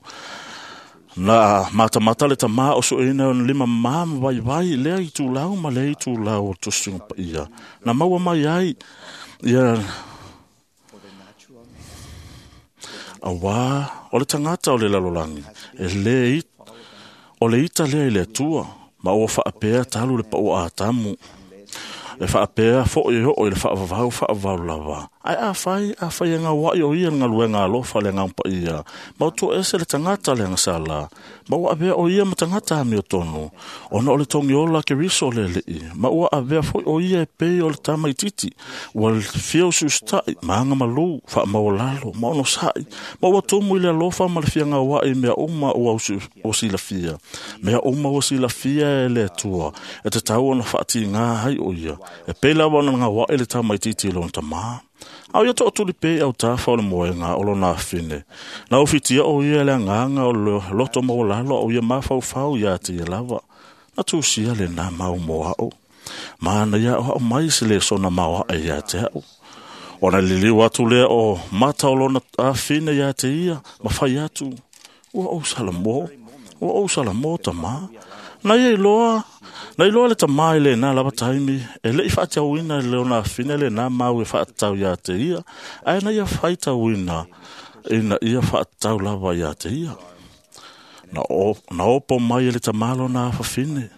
J: Na mata mata le tamā o sua ina ona lima mama vai vai, lea i tūlau ma lea i tūlau o tusunga pa ia. Na maua mai ai, ia Awa, o le tangata o le lalolangi, e le o le ita lea i le atua, ma ua whaapea talu le pau a tamu. E faapea foʻi e oo i le faavavau faavavau lava. Ae afai afai e gauaʻi o ia le galuega alofa le agaga paia, ma ua toese le tagata le agasala, ma ua avea o ia ma tagata amiotonu, ona o le togiola Keriso le Alii, ma ua avea foi o ia e pei o le tamaititi, ua fia usiusitaʻi ma agamalū, faamaualalo ma onosaʻi, ma ua tumu i le alofa ma le fiagauaʻi i mea uma ua silafia, mea uma ua silafia e le Atua, e tatau ona faatigā ai o ia, e pei lava ona gauaʻi le tamaititi i lona tamā. A o ia toʻatuli pea i autafa o le moega o lona afine. Na ufitia o ia le agaga o le loto maualalo a o ia mafaufau iā te ia lava. Na tusia lenā mau mo aʻu. Ma na ia aʻoaʻo mai se lesona maoaʻe iā te aʻu. Ona liliu atu lea o mata o lona afine iā te ia, ma fai atu, ua ou salamo, ua ou salamo tamā. Na ia iloa, na iloa le tamā i lenā lava taimi, e leʻi faatauina i lona afine lenā mau e faatatau iā te ia, ae na ia faitauina ina ia faatatau lava iā te ia. Na opo mai e le tamā lona afafine.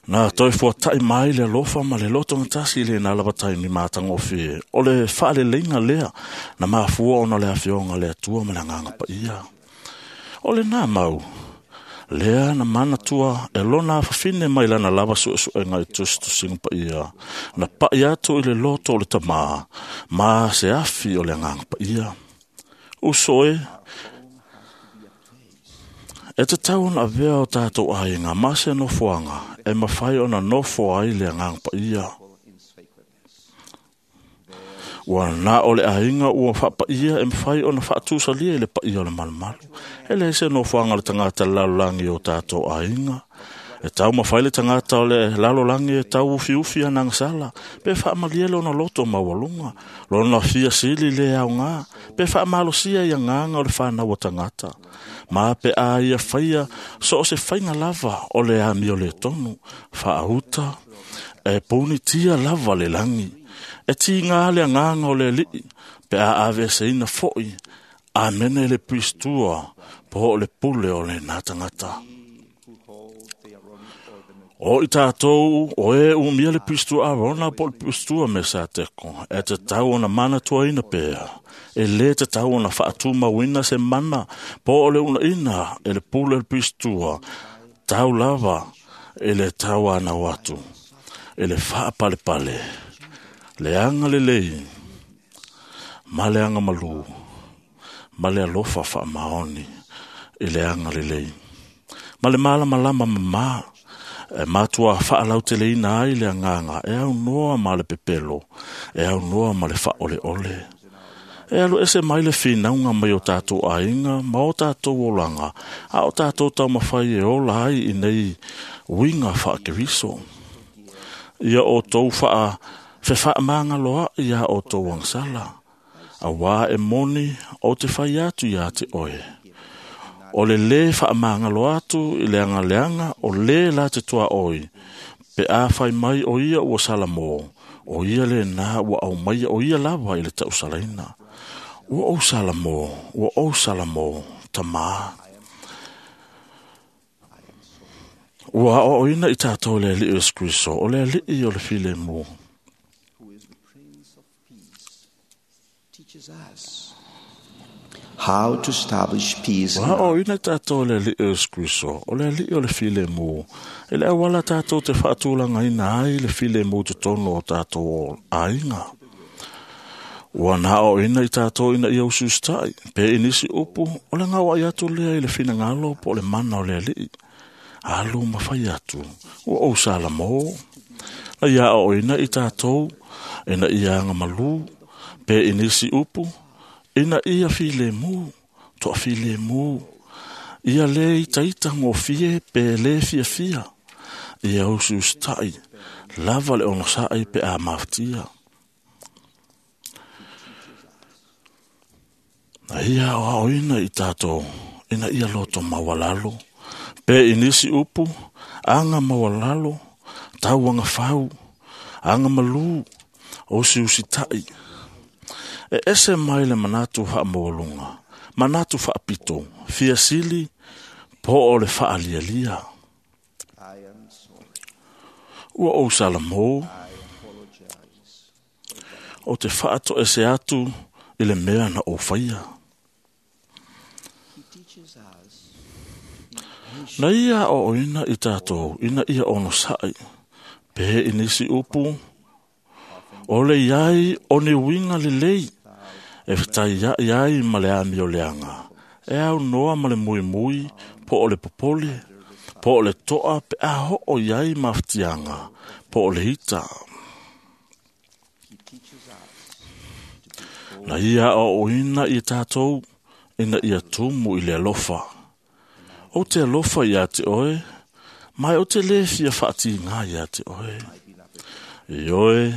J: Na toe fuataʻi mai le alofa ma le lotogatasi i lenā lava taimi matagofie. O le faaleleiga lea na mafua ona le afioga le Atua ma le agaga paia. O lenā mau, lea na manatua e lona afafine mai lana lava suesuega i tusitusiga paia, na paʻi atu i le loto o le tamā, ma se afi o le agaga paia. Uso e, e tatau ona avea o tatou aiga ma se nofoaga e mafai ona nofo ai le agaga paia. Ua na o le aiga ua faapaia e mafai ona faatusalia i le paia o le malumalu. E leai se nofoaga o le tagata le lalolagi o tatou aiga. E taumafai le tagata o le lalolagi e tauufiufi ana agasala, pe faamalie lona loto maualuga, lona fia sili le aogā, pe faamalosia i agaga o le fanau a tagata. Ma pe a ia faia so o se faiga lava o le amio le tonu, faauta, e punitia lava le lagi. E tigā le agaga o le Alii, pe a aveeseina foʻi, amene le puisitua po o le pule o lenā tagata. O i tātou o e umia le puisitua Arona po o le puisitua Mesateko, e tatau ona manatuaina pea. E lē tatau ona faatumauina se mana po o le unaʻina e le pule o le puisitua, tau lava i le tauanau atu, i le faapalepale, le agalelei, ma le agamalū, ma le alofa faamaoni i le agalelei. Ma le malamalama mamā, e matua faalauteleina ai le agaga e aunoa ma le pepelo, e aunoa ma le faaoleole. E alu ese mai le finauga mai o tatou aiga ma o tatou olaga, a o tatou taumafai e ola ai i nei uiga faakeriso. Ia outou fefaamagaloaʻi iā outou agasala, auā e moni ou te fai atu iā te oe. O le lē faamagalo atu i le agaleaga o lē la te tuaoi, pe a fai mai o ia ua salamo, o ia lenā ua aumaia o ia lava i le tausalaina. Ua ou salamo, ua ou salamo, tamā. Ua aoaoina i tatou le Alii o Iesu Keriso, o le Alii o le filemu.
I: How to establish peace.
J: Ua aoaoina i tatou le Alii o Iesu Keriso, o le Alii o le filemu, e le auala tatou te faatulagaina ai le filemu totonu o tatou aiga. Ua na aoaoina i tatou ina ia usiusitaʻi, pe i nisi upu, o le gauaʻi atu lea i le finagalo po o le mana o le Alii. Alu ma fai atu, ua ou salamo. Na ia aoaoina i tatou, ina ia agamalū, pe i nisi upu, ina ia filemu, toafilemu, ia lē itaita gofie pe lē fiafia, ia usiusitaʻi, lava le onosaʻi pe a mafatia. Na ia aoaoina i tatou, ina ia loto maualalo, pe i nisi upu, aga maualalo, tauagafau, agamalū, usiusitaʻi. E ese mai le manatu faamaualuga, manatu faapito, fiasili, po o le faalialia. Ua ou salamō. O te whaato e se atu i le mea na o whaia. Na ia o oina i tātou, ina ia ono sai. Pe i nisi upu, o le iai o ni winga le lei, e whatai ia iai ma le ami o leanga. E au noa ma le mui mui, po o le popole, po o le toa pe a ho o iai mawhitianga, po o le hita. Na ia o oina i tātou, ina ia tumu i le alofa. O te alofa ia te oe, mai o te le fia whaati ngā ia te oe. I oe,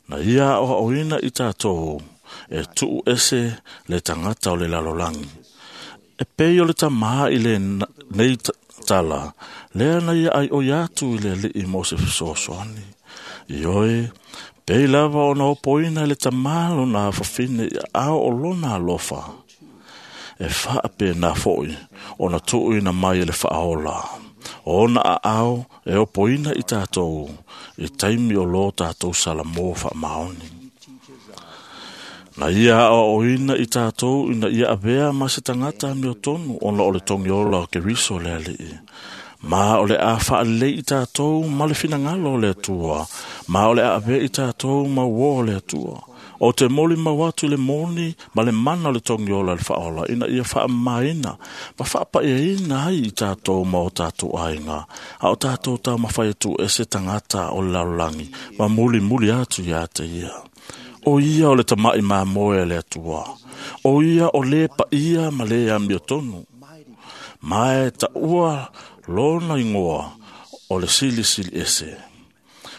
J: na ia o oina i tātou, e tuu ese le tangata o le lalolangi. E pei o le tamaha i le nei tala, lea na ia ai o iatu i le alii mo se fesoasoani. I oe, pei lava o na opoina i le tamalo na whawhine i ao o lona alofa. E whaape nā foi, o na tuuina mai e le whaola. O na a ao e opoina i tātou, i taimi o lo tātou salamō wha maoni. Na ia o oina i tātou ina ia avea ma se tangata mi o tonu ona o le tongi ola o ke riso le alii. Ma o le a whaalei i tātou ma le finangalo o le atua. Ma o le a avea i tātou ma uo o le atua. O te moli mau atu le moni ma le mana o le tongi ola le whaola ina ia whaamaina ma whaapaeina ai i tātou ma o tātou ainga. A o tātou tā mawhai atu e se tangata o le lalolagi ma muli muli atu ia te ia. O ia o le tamai mā moe le atua. O ia o le pa ia ma le amio tonu. Mae ta ua lona ingoa o le sili sili ese.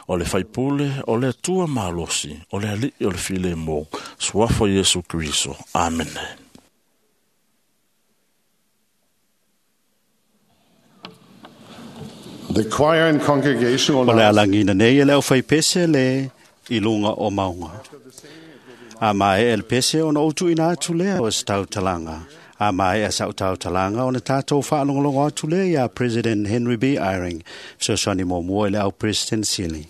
J: O le whaipule o le atua malosi o le alii o le file mō. Suafa Yesu Kristo. Amen.
F: The choir and congregation will
D: O le
F: now
D: alangina nei e le au whaipese le i lunga o maunga. A mai e le pese ona o tuina atu lea o se tautalanga. A mai e sau tautalanga ona tātou whaalongolongo atu lea ia President Henry B. Eyring. Fesoasoani muamua i le au President Sili.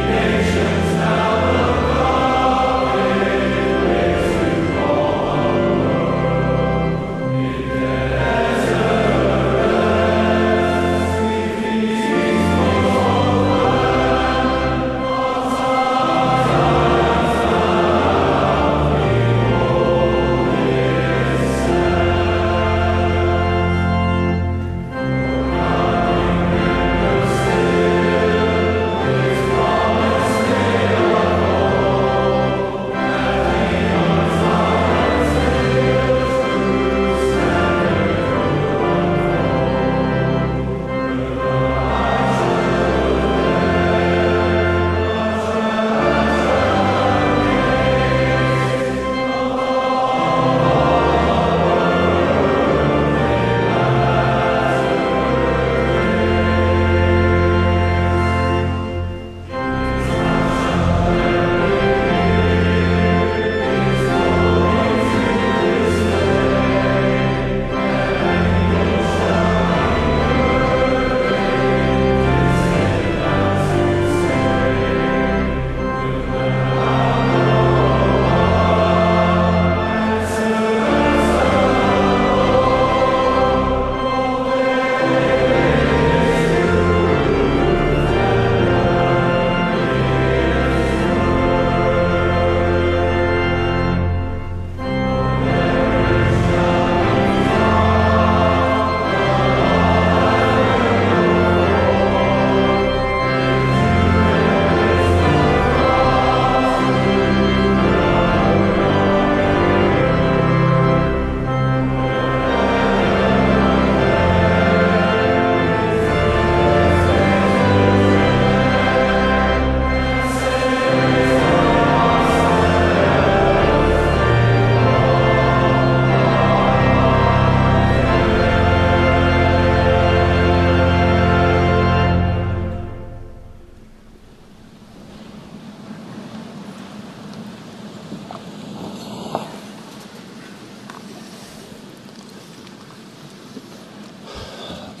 E: Nations now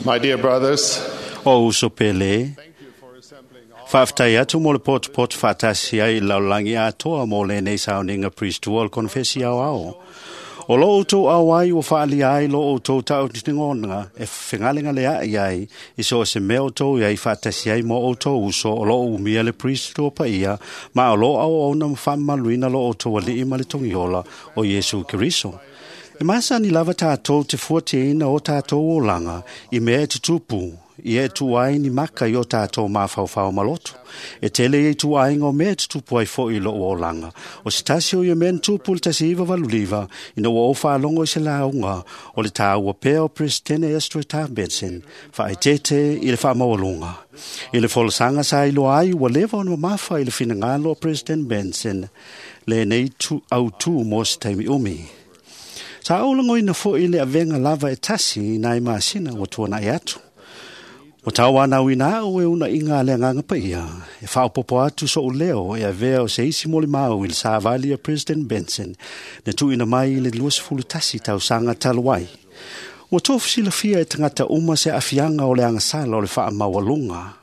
F: My dear brothers,
D: O uso pele, faafetai atu mo le potopoto faatasi ai i le lalolagi atoa mo lenei sauniga priestua o le konefesi aoao. O lo outou auai ua faalia ai lo outou tautinoga e fegalegaleaʻi ai i so o se mea outou iai faatasi ai mo outou uso o loo umia le priestua paia ma o loo auauna ma faamamaluina lo outou alii ma le togiola o Iesu Keriso. E masani lava tatou te fuatiaina o tatou olaga i mea e tutupu ia e tuu ai ni maka i o tatou mafaufau maloto. E tele ia i tuaiga o mea e tutupu ai foʻi i lou olaga. O se tasi o ia mea na tupu i le 1989 ina ua ou faalogo i se lauga o le tāua pea o Peresetene Ezra Taft Benson faaeteete i le faamaualuga. I le folasaga sa iloa ai ua leva ona mamafa i le finagalo o President Benson lenei autū mo se taimi umi. Sa ou lagoina foʻi le avega lava e tasi i nai masina ua tuanaʻi atu. Ua tauanauina au e unaʻiga a le agaga paia e faaopopo atu soʻu leo e avea o se isi molimau i le savali a President Benson na tuuina mai i le 21 tausaga talu ai. Ua tofu silafia e tagata uma se aafiaga o le agasala o le faamaualuga.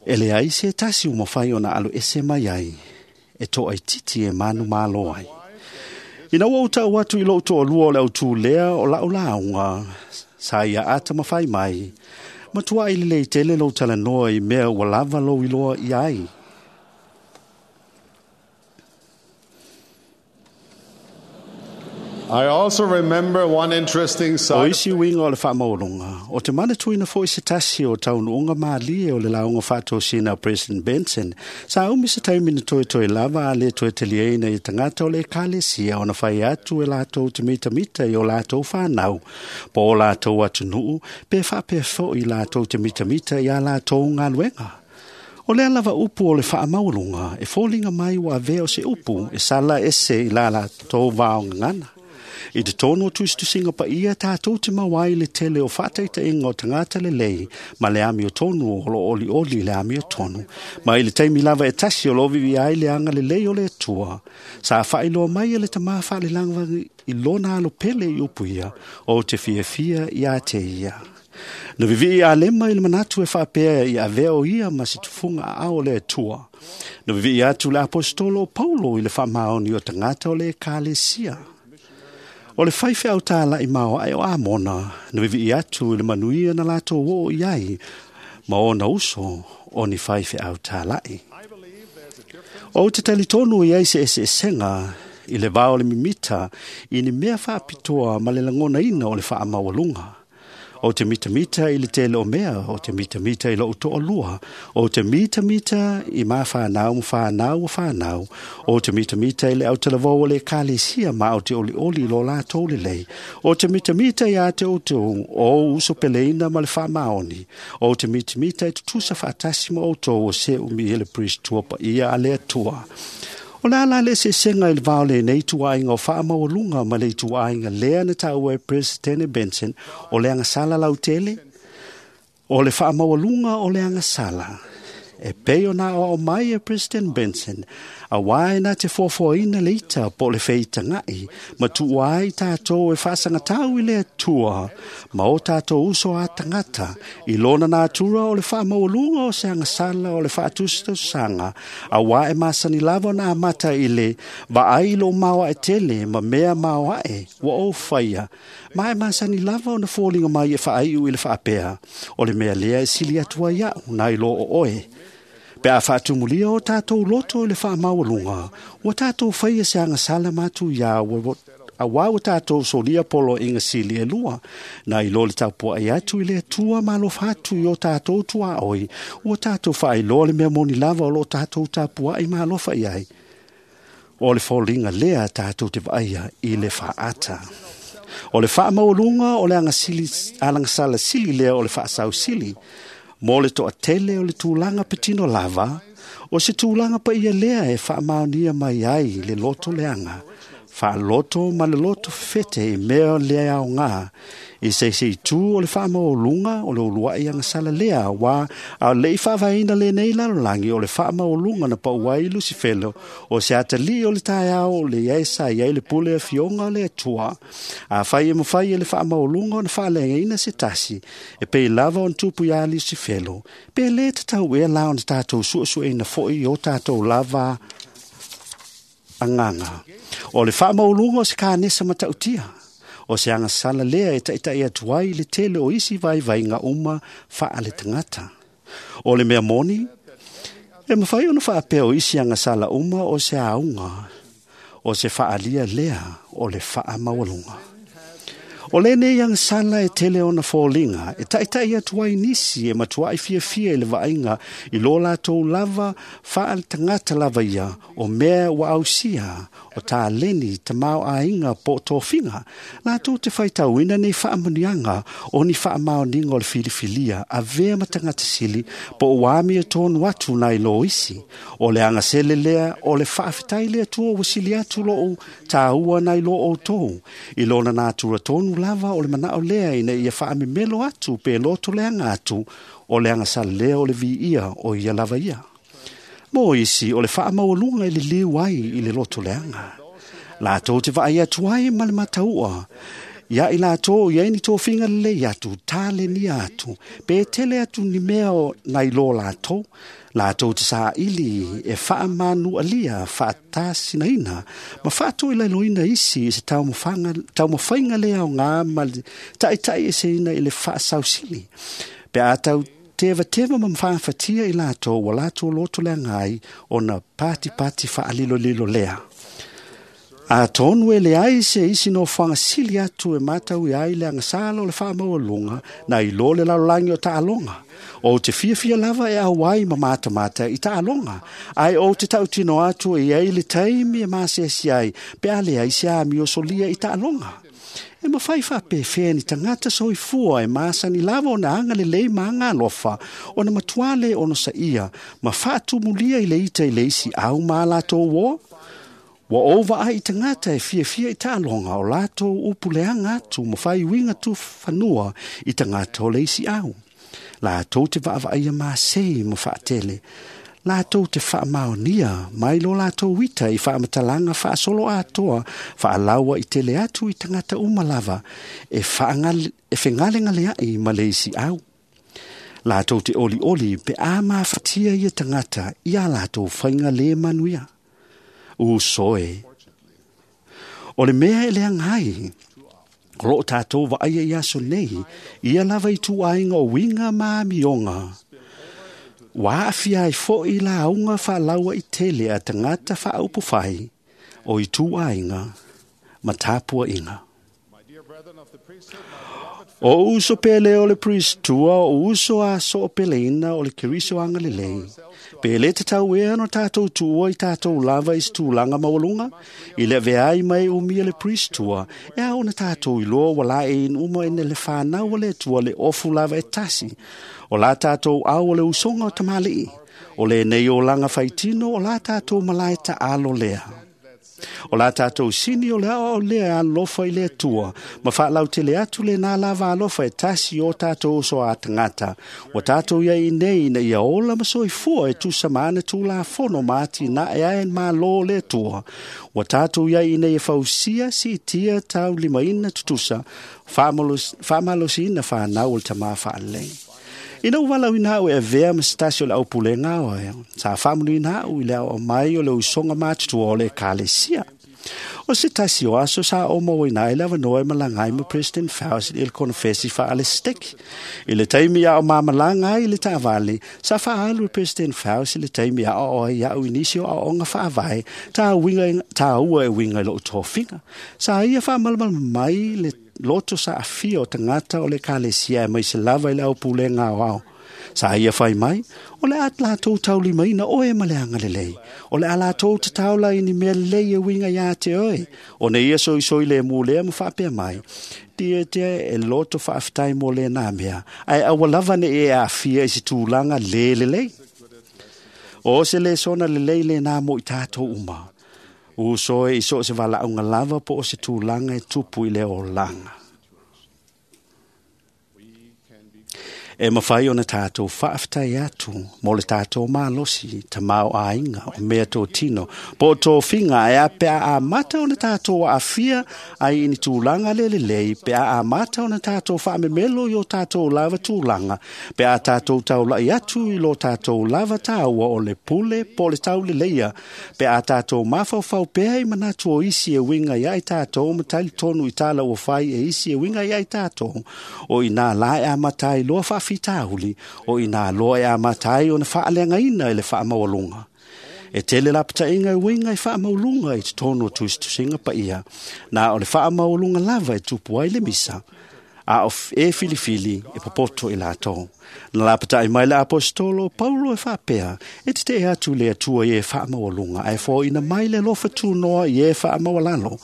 D: E leai se tasi ua mafai ona alo ese mai ai e toaititi e manumalo ai. Ina ua ou tau atu i lou toalua o le autū lea o lau lauga, sa ia ata mafai mai, matuai lelei tele lou talanoa i mea ua lava lou iloa i ai.
F: I also remember one interesting
D: O
F: side.
D: isi uiga o le faamaualuga, o te manatuina foʻi se tasi o taunuuga malie o le lauga faatosina a President Benson, sa umi se taimi na toetoe lava a le toe taliaina i tagata o le ekalesia ona fai atu e latou te mitamita i o latou fanau, po o latou atunuu, pe faapea foʻi latou te mitamita iā latou galuega. O lea lava upu o le faamaualuga e foliga mai ua avea o se upu e sala ese i la latou vaogagana. I totonu o tusitusiga paia tatou te mau ai le tele o faataitaiga o tagata lelei ma le amiotonu o loo olioli i le amiotonu. Ma i le taimi lava e tasi o loo vivia ai le agalelei o le Atua. Sa faailoa mai e le tamā faalelaga i lona alo pele i upu ia o te fiafia iā te ia. Na vivii a lema i le manatu e faapea i avea o ia ma se tufuga aao o le Atua. Na vivii atu le aposetolo o Paulo i le faamaoni o tagata o le ekalesia. O le faifeau tālaʻi maoaʻe o Amona, na vivii atu i le manuia na latou oo i ai, ma ona uso o ni faifeau tālaʻi. O te talitonu i ai se eseesega i le vao o le mimita i ni mea faapitoa ma le lagonaina o le faamaualuga. O te mitamita i le tele o mea, o te mitamita i lou toalua, o te mitamita i ma whanau ma whanau o whanau, o te mitamita i le autalavou o le ekalesia ma o te olioli lo latou lelei, o te mitamita i a te outou o uso peleina ma le faamaoni, o te mitamita i tutusa faatasi ma outou o se umi e le priestua paia a le Atua. O le ala le eseesega i le vao lenei tuaiga o faamaualuga ma le ituaiga lea na taua e Presidente Benson o le agasala lautele, o le faamaualuga o le agasala. E pei ona aoao mai e President Benson, auā e na te foafoaina le ita po o le feitagaʻi ma tuua ai tatou e faasagatau i le Atua ma o tatou uso a tagata i lona natura o le faamaualuga o se agasala o le faatusatusaga, auā e masani lava ona amata i le vaai i lou maoaʻe tele ma mea maoaʻe ua ou faia, ma e masani lava ona foliga mai e faaiu i le faapea, o le mea lea e sili atu ai aʻu nai lo o oe. Pe a faatumulia o tatou loto i le faamaualuga, ua tatou faia se agasala matuiā auā ua tatou solia poloaiga sili e lua, na i lo le tapuaʻi atu i le Atua ma alofa atu i o tatou tuaoi, ua tatou faailoa le mea moni lava o loo tatou tapuaʻi ma alofa i ai. O le foliga lea tatou te vaaia i le faaata. O le faamaualuga o le alagasala sili lea o le faasausili, mo le toatele o le tulaga patino lava, o se tulaga paia lea e faamaonia mai ai le loto leaga, Faaloto ma le loto fefete i mea le aoga i se itu o le faamaualuga o le uluai agasala lea auā a o leʻi faavaeina lenei lalolagi o le faamaualuga na pau ai Lusifelo o se atalii o le taeao o le iai sa iai le pule afioga o le Atua. Afai e mafai e le faamaualuga ona faaleagaina se tasi e pei lava ona tupu iā Lusifelo, pe lē tatau ea la ona tatou suesueina foʻi i o tatou lava agaga. O le faamaualuga o se kanesa matautia o se agasala lea e taʻitaʻi atu ai le tele o isi vaivaiga uma faale tagata. O le mea moni, e mafai ona faapea o isi agasala uma o se auga o se faaalia lea o le faamaualuga. O lenei agasala e tele ona foliga e taʻitaʻi atu ai nisi e matuaʻi fiafia i le vaaiga i lo latou lava faaletagata lava ia o mea ua ausia o taleni tamaoaiga po o tofiga latou te faitauina nei faamanuiaga o ni faamaoniga o le filifilia avea ma tagata sili po o ua amiotonu atu nai lo isi. O le agasele lea o le faafetai le Atua ua sili atu lou tāua nai lo outou i lona natura tonu lava o le manao lea ina ia faamemelo atu pe loto leaga atu o le agasala lea o le viia o ia lava ia. Mo isi o le faamaualuga i le liu ai i le loto leaga. Latou te vaai atu ai ma le mataua ia i latou i ai ni tofiga lelei atu, talenia atu, pe tele atu ni mea o nai lo latou, latou te saili e faamanualia, faatasinaina, ma faatoilaloina isi i se taumafaiga le aoga ma le taʻitaʻieseina i le faasausili. Pe a tau tevateva ma faafatia i latou ua latou loto leaga ai ona patipati faalilolilo lea. Atonu e leai se isi nofoaga sili atu e matauia ai le agasala o le faamaualuga na i lo le lalolagi o taaloga. Ou te fiafia lava e auai ma matamata i taaloga, ae ou te tautino atu e iai le taimi e masiasi ai pe a leai se amio solia i taaloga. E mafai faapefea ni tagata soifua e masani lava ona agalelei ma agalofa ona matuā lē onosaia ma faatumulia i le ita i le isi au ma a latou uō. Ua ou vaai i tagata e fiafia i taaloga o latou upu leaga atu ma faiuiga tufanua i tagata o le isi au. Latou te vaavaaia masei ma faatele. Latou te faamaonia mai lo latou ita i faamatalaga faasolo atoa faalaua i tele atu i tagata uma lava e fegalegaleaʻi ma le isi au. Latou te olioli pe a mafatia ia tagata ia latou faiga lē manuia. Uso e. O le mea e leaga ai, o loo tatou vaaia i aso nei, ia lava i tuaiga o uiga ma amioga. Ua aafia ai foʻi lauga faalaua i tele a tagata faaupufai o ituaiga ma tapuaiga. O uso pele o le Pristua, o uso a soopeleina o le Keriso agalelei. Pe le tatau ea ona tatou tuua i tatou lava i se tulaga maualuga, i le aveai mai umia le Pristua, e ao ona tatou iloa ua laeiina uma ina le fanau a le Atua le ofu lava e tasi. O la tatou au o le usoga o tamalii. O lenei olaga faitino o la tatou malae taalo lea. O la tatou sini o le aoao lea alofa i le Atua, ma faalautele atu lenā lava alofa e tasi o tatou uso a tagata. Ua tatou iai nei ina ia ola ma soifua e tusa ma ana tulafono ma atinae ae malo o le Atua. Ua tatou iai nei e fausia siitia taulimaina tutusa, faamalosiina fanau o le tamā faalelei. Ina ua valaauina au e avea ma se tasi o le aupulega oe, sa faamanuina au i le aoao mai o le usoga matutua o le ekalesia. O se tasi o aso sa ou mauaina ai le avanoa e malaga ai ma President Faust i le konofesi faalesiteki. I le taimi a o mamalaga ai i le taavale, sa faaalu e President Faust i le taimi a aoao ai iaʻu i nisi o aoaoga faavae tāua e uiga i lou tofiga. Sa ia faamalamalama mai le loto saafia o tagata o le ekalesia aemaise lava i le aupulega aoao. Sa ia fai mai, o le a latou taulimaina oe ma le agalelei. O le a latou tataola i ni mea lelei e uiga iā te oe. Ona ia soisoi le mu lea ma faapea mai, tia tia e loto faafetai mo lenā mea, ae aua lava neʻi e aafia i se tulaga lē lelei. O se lesona lelei lenā mo i tatou uma. Uso e i so o se valaauga lava po o se tulaga e tupu i le olaga. E mawhai ona tātou whaaftai atu mō le tātou mālosi, ta mao āinga o mea tō tino. Po tō finga e a pea a mata ona tātou awhia ai ini tūlanga le lelei, pea a mata ona tātou whaamemelo i o tātou lava tūlanga, pea a tātou taulai atu i lo tātou lava tāua o le pule po le tau leleia, pea a tātou mawhauwhau pea i manatu o isi e winga i ai tātou, matali tonu i tāla o whai e isi e winga i ai tātou, o i nā lae a matai loa whaafitauli, o i nā loa e a matai o na whaalenga ina i le whaamaualunga. E tele lapata inga i winga i whaamaulunga i te tono o tusitusinga pa ia, nā o le whaamaulunga lava e tupu ai le misa, a o e filifili e popoto i lātou. Na lapata i mai le apostolo Paulo e whaapea, e te te atu le atua i e whaamaualunga, ai fo ina mai le lofa tūnoa i e whaamaualalo.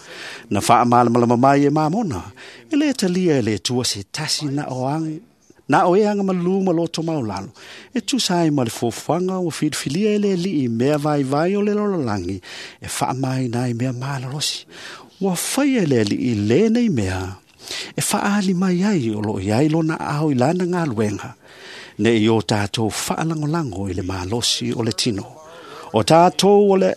D: Na whaamalamalama mai e mamona, e le talia e le atua se tasi na o ang, na o e anga malu ma loto maulalo. E tusa ai ma le fofuanga o filifilia e le lii mea vai vai o le lololangi, e whaamai nai mea malalosi. Ua whai e le lii le nei mea, e whaali mai ai o lo iai lona ao i lana ngā luenga, ne i o tātou whaalangolango i le malosi o le tino. O tātou o le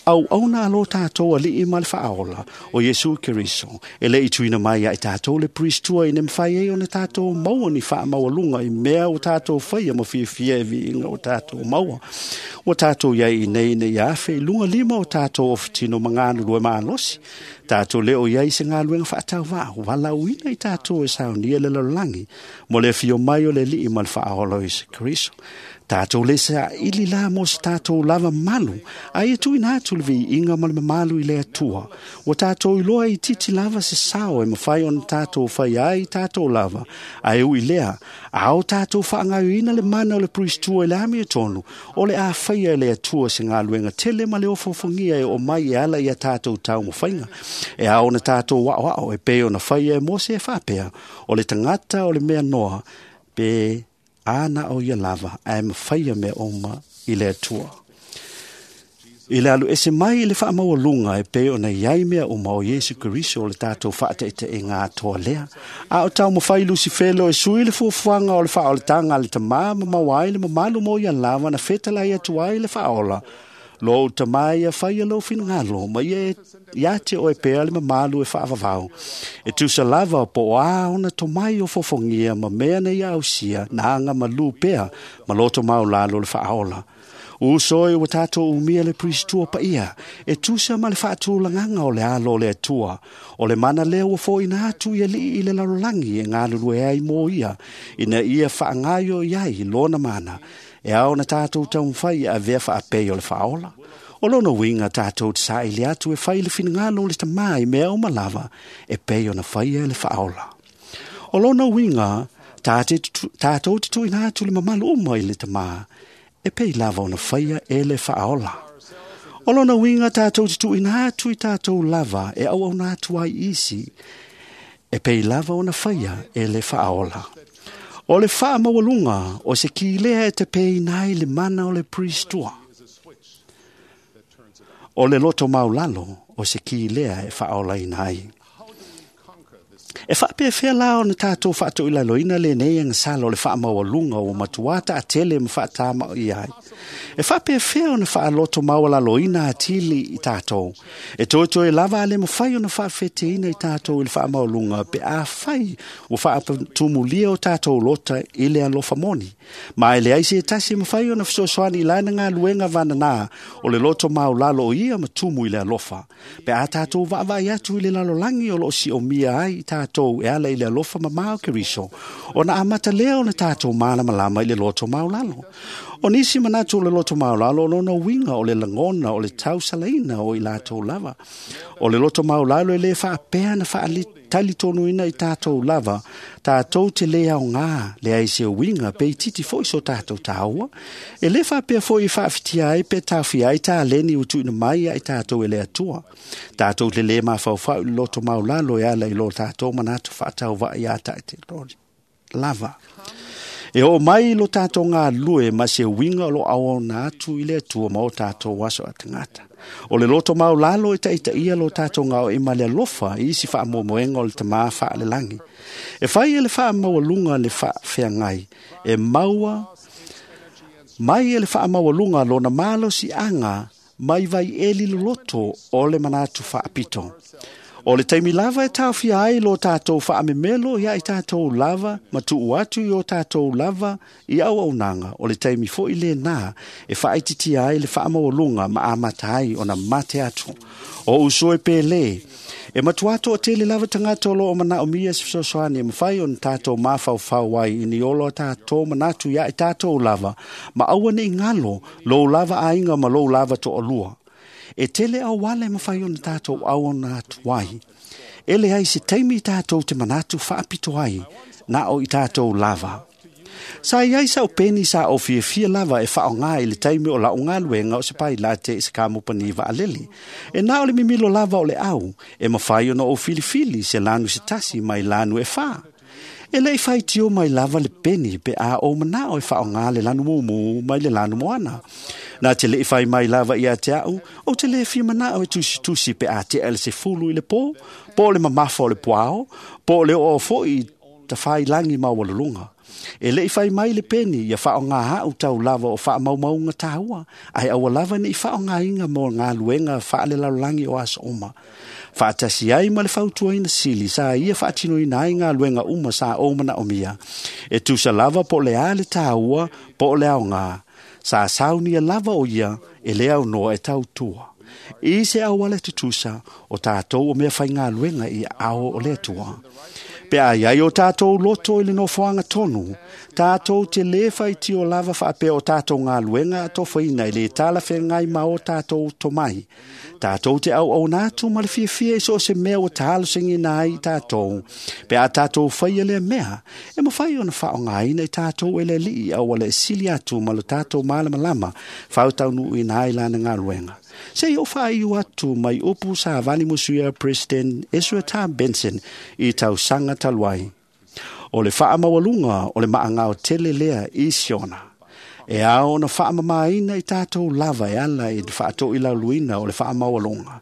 D: au auna alo tātou a lii ma le whaaola o Yesu Keriso, e le i tuina mai ai tātou le pristua i ne mwhai e o ne tātou maua ni whaamaualunga i mea o tātou whaia ma whiawhia e viinga o tātou maua. O tātou iai i nei nei awhe i lunga lima o tātou o whitino mangānu rua maalosi. Tātou leo iai se ngā luenga whaatau wā, wala uina i tātou e saunia le lalolangi, mo le whio mai o le lii ma le whaaola o Yesu Keriso. Tātou le sa ili la mo se tātou lava malu, ai e tuina atu le vi inga ma le mamalu i le atua. O tātou iloa i titi lava se sao e mawhai ona tātou whai ai tātou lava, ai ui lea, ao tātou whaangauina le mana o le pristua i le ami e tonu, o le a whaia e le atua se ngā luenga tele ma le ofofongia e o mai e ala i a tātou tau mawhainga. E ao na tātou wao wao e peo na whaia e mose e whapea, o le tangata o le mea noa, pe ana o ia lava, ae mawhaia me oma i le atua. I le alu ese mai i le whaamaualunga e pe o na iai mea o mao Yesu Keriso o le tātou whaataita e ngā toa lea. A o tau mawhai Lucifelo e sui le fuafuanga o le whaoletanga le tamā ma mawai le mamalu mo ia lava na whetala i atu ai le whaola. Lo tamai a whai a lo whingalo, ma ia ia te oe pea le mamalu e whaavavau. E tusa lava po a ona tomai o fofongia ma mea nei ausia na anga malu pea ma loto maulalo le whaola. Uso e o tātou umia le pristua pa ia, e tusa ma le whaatūlanganga o le alo le atua, o le mana lea ua fōina atu ia lii i le lalolangi e ngā ai mō ia, ina ia whaangaio iai lona mana, e ao na tātou taumwhai a vea whaapei o le whaola. O lona winga tātou te sa ile atu e whai le whingalo le tamai mea o malava, e pei o na whaia le whaola. O lona winga tātou te tuina atu le mamalu uma i le tamā, e pei lava o na whaia e le whaola. O lona winga tātou te tuina atu i tātou lava e au au na atu ai isi, e pei lava o na whaia e le whaola. O le whaamaualunga o se ki lea e te pei nai le mana o le pristua. O le loto maulalo o se ki lea e whaola inai. E whaapea la o na tātou whaato i lalo ina le nei ang salo le whaamaualunga o matuata a tele ma whaatama i ai. E whaapea o na whaaloto maualalo ina a tili i tātou. E toe lava ale mawhai o na whaafete ina i tātou i le whaamaualunga pe a whai o whaatumulia o tātou lota i le alofa moni. Ma ele ai se tasi mawhai o na whasosoani i laina ngā luenga vanana o le loto maulalo o ia matumu i le alofa. Pe a tātou vaavai atu i le lalolangi o lo si o mia ai i tātou e ala i le alofa mamao Keriso. O na amata lea o na tātou malamalama i le loto maulalo. O nisi manatu o le loto maulalo o lona winga o le langona o le tausalaina o i lātou lava. O le loto maulalo e le whaapea na whaalitali ina i tātou lava. Tātou te lea o ngā, le ai se winga pe i titi foi so tātou tāua. E le whaapea foi i whaawhitia ai pe tāwhi ai tā leni utu ina mai ai tātou e le atua. Tātou te le mawhauwhau i le loto maulalo e ala i lo tātou manatu whaatau vai a tāi te lava. E o mai lo tātou ngā lue ma se winga lo au na atu i le atua ma o tātou waso a tangata. O le loto maulalo e taitaia lo tātou ngao i male alofa i isi whaamomoenga o le tamā whaalelagi. E whai e le whaamaualunga le whaawheangai, e maua mai e le whaamaualunga lona malo si anga mai vai eli loloto o le manatu whaapito. O le taimi lava e tāwhia ai lo tātou whaamemelo ia i tātou lava, ma tuu atu i o tātou lava i au aunanga. O le taimi fo i le nā e whaaititia ai le whaamaualunga ma amata ai o na mate atu. O usoe pele, e matuato o tele lava tangata o lo o mana o mia se fesoasoani e mawhai o na tātou māwhauwhau ai i ni olo a tātou manatu ia i tātou lava, ma aua nei ngalo lo lava ainga ma lo lava to olua. E tele au wale mawhai o na tātou au o na atuai. Ele ai se taimi i tātou te manatu whaapito ai, nā o i tātou lava. Sa iai sa o peni sa o fiafia lava e whaonga i le taimi o la o ngā o se pai la te i se kamupani waalele. E nā o le mimilo lava o le au, e mawhai ona o filifili se lanu se tasi mai lanu e wha. E lei whai tio mai lava le peni pe a o manao e whaonga le lanu mumu mai le lanu moana. Nā te lei whai mai lava i a te au, o te le whia manao e tusi tusi pe a te ele se fulu i le pō, pō le mamafa o le puao, pō le o fo i ta whai langi maualulunga. E lei whai mai le peni ia whaonga hau tau lava o whaamaumaunga tāua, ai aua lava ni whaonga inga mō ngā luenga whaale lalulangi o asa oma. Whaatasi ai ma le fautuaina sili sa ia whaatinoina ai ngā luenga uma sa o mana o mia. E tusa lava po le a le tāua, po le ao ngā. Sa saunia lava o ia e le au noa e tautua. I se au ale tutusa o tātou o mea whai ngā luenga i ao o le atua. Pe ai ai o tātou loto i le nofoanga tonu, tātou te le whai o lava whaapea o tātou ngā luenga a tōwhaina i le tala whengai ma o tātou tomai. Tātou te au au nātu ma le fiafia i so se mea o tālo sengi nā i tātou. Pe a tātou whai le mea, e mawhai ona whaongaina i tātou e le lii au ale sili atu ma lo tātou malamalama whautau i nā i lana ngā luenga. Se i o whai atu mai upu sa vani musuia President Ezra Tam Benson i tau sanga taluai. O le whaamaualunga o le maangao tele lea i siona. E ao na whaamamaina i tātou lava e ala i whaatoi lauluina o le whaamaualunga.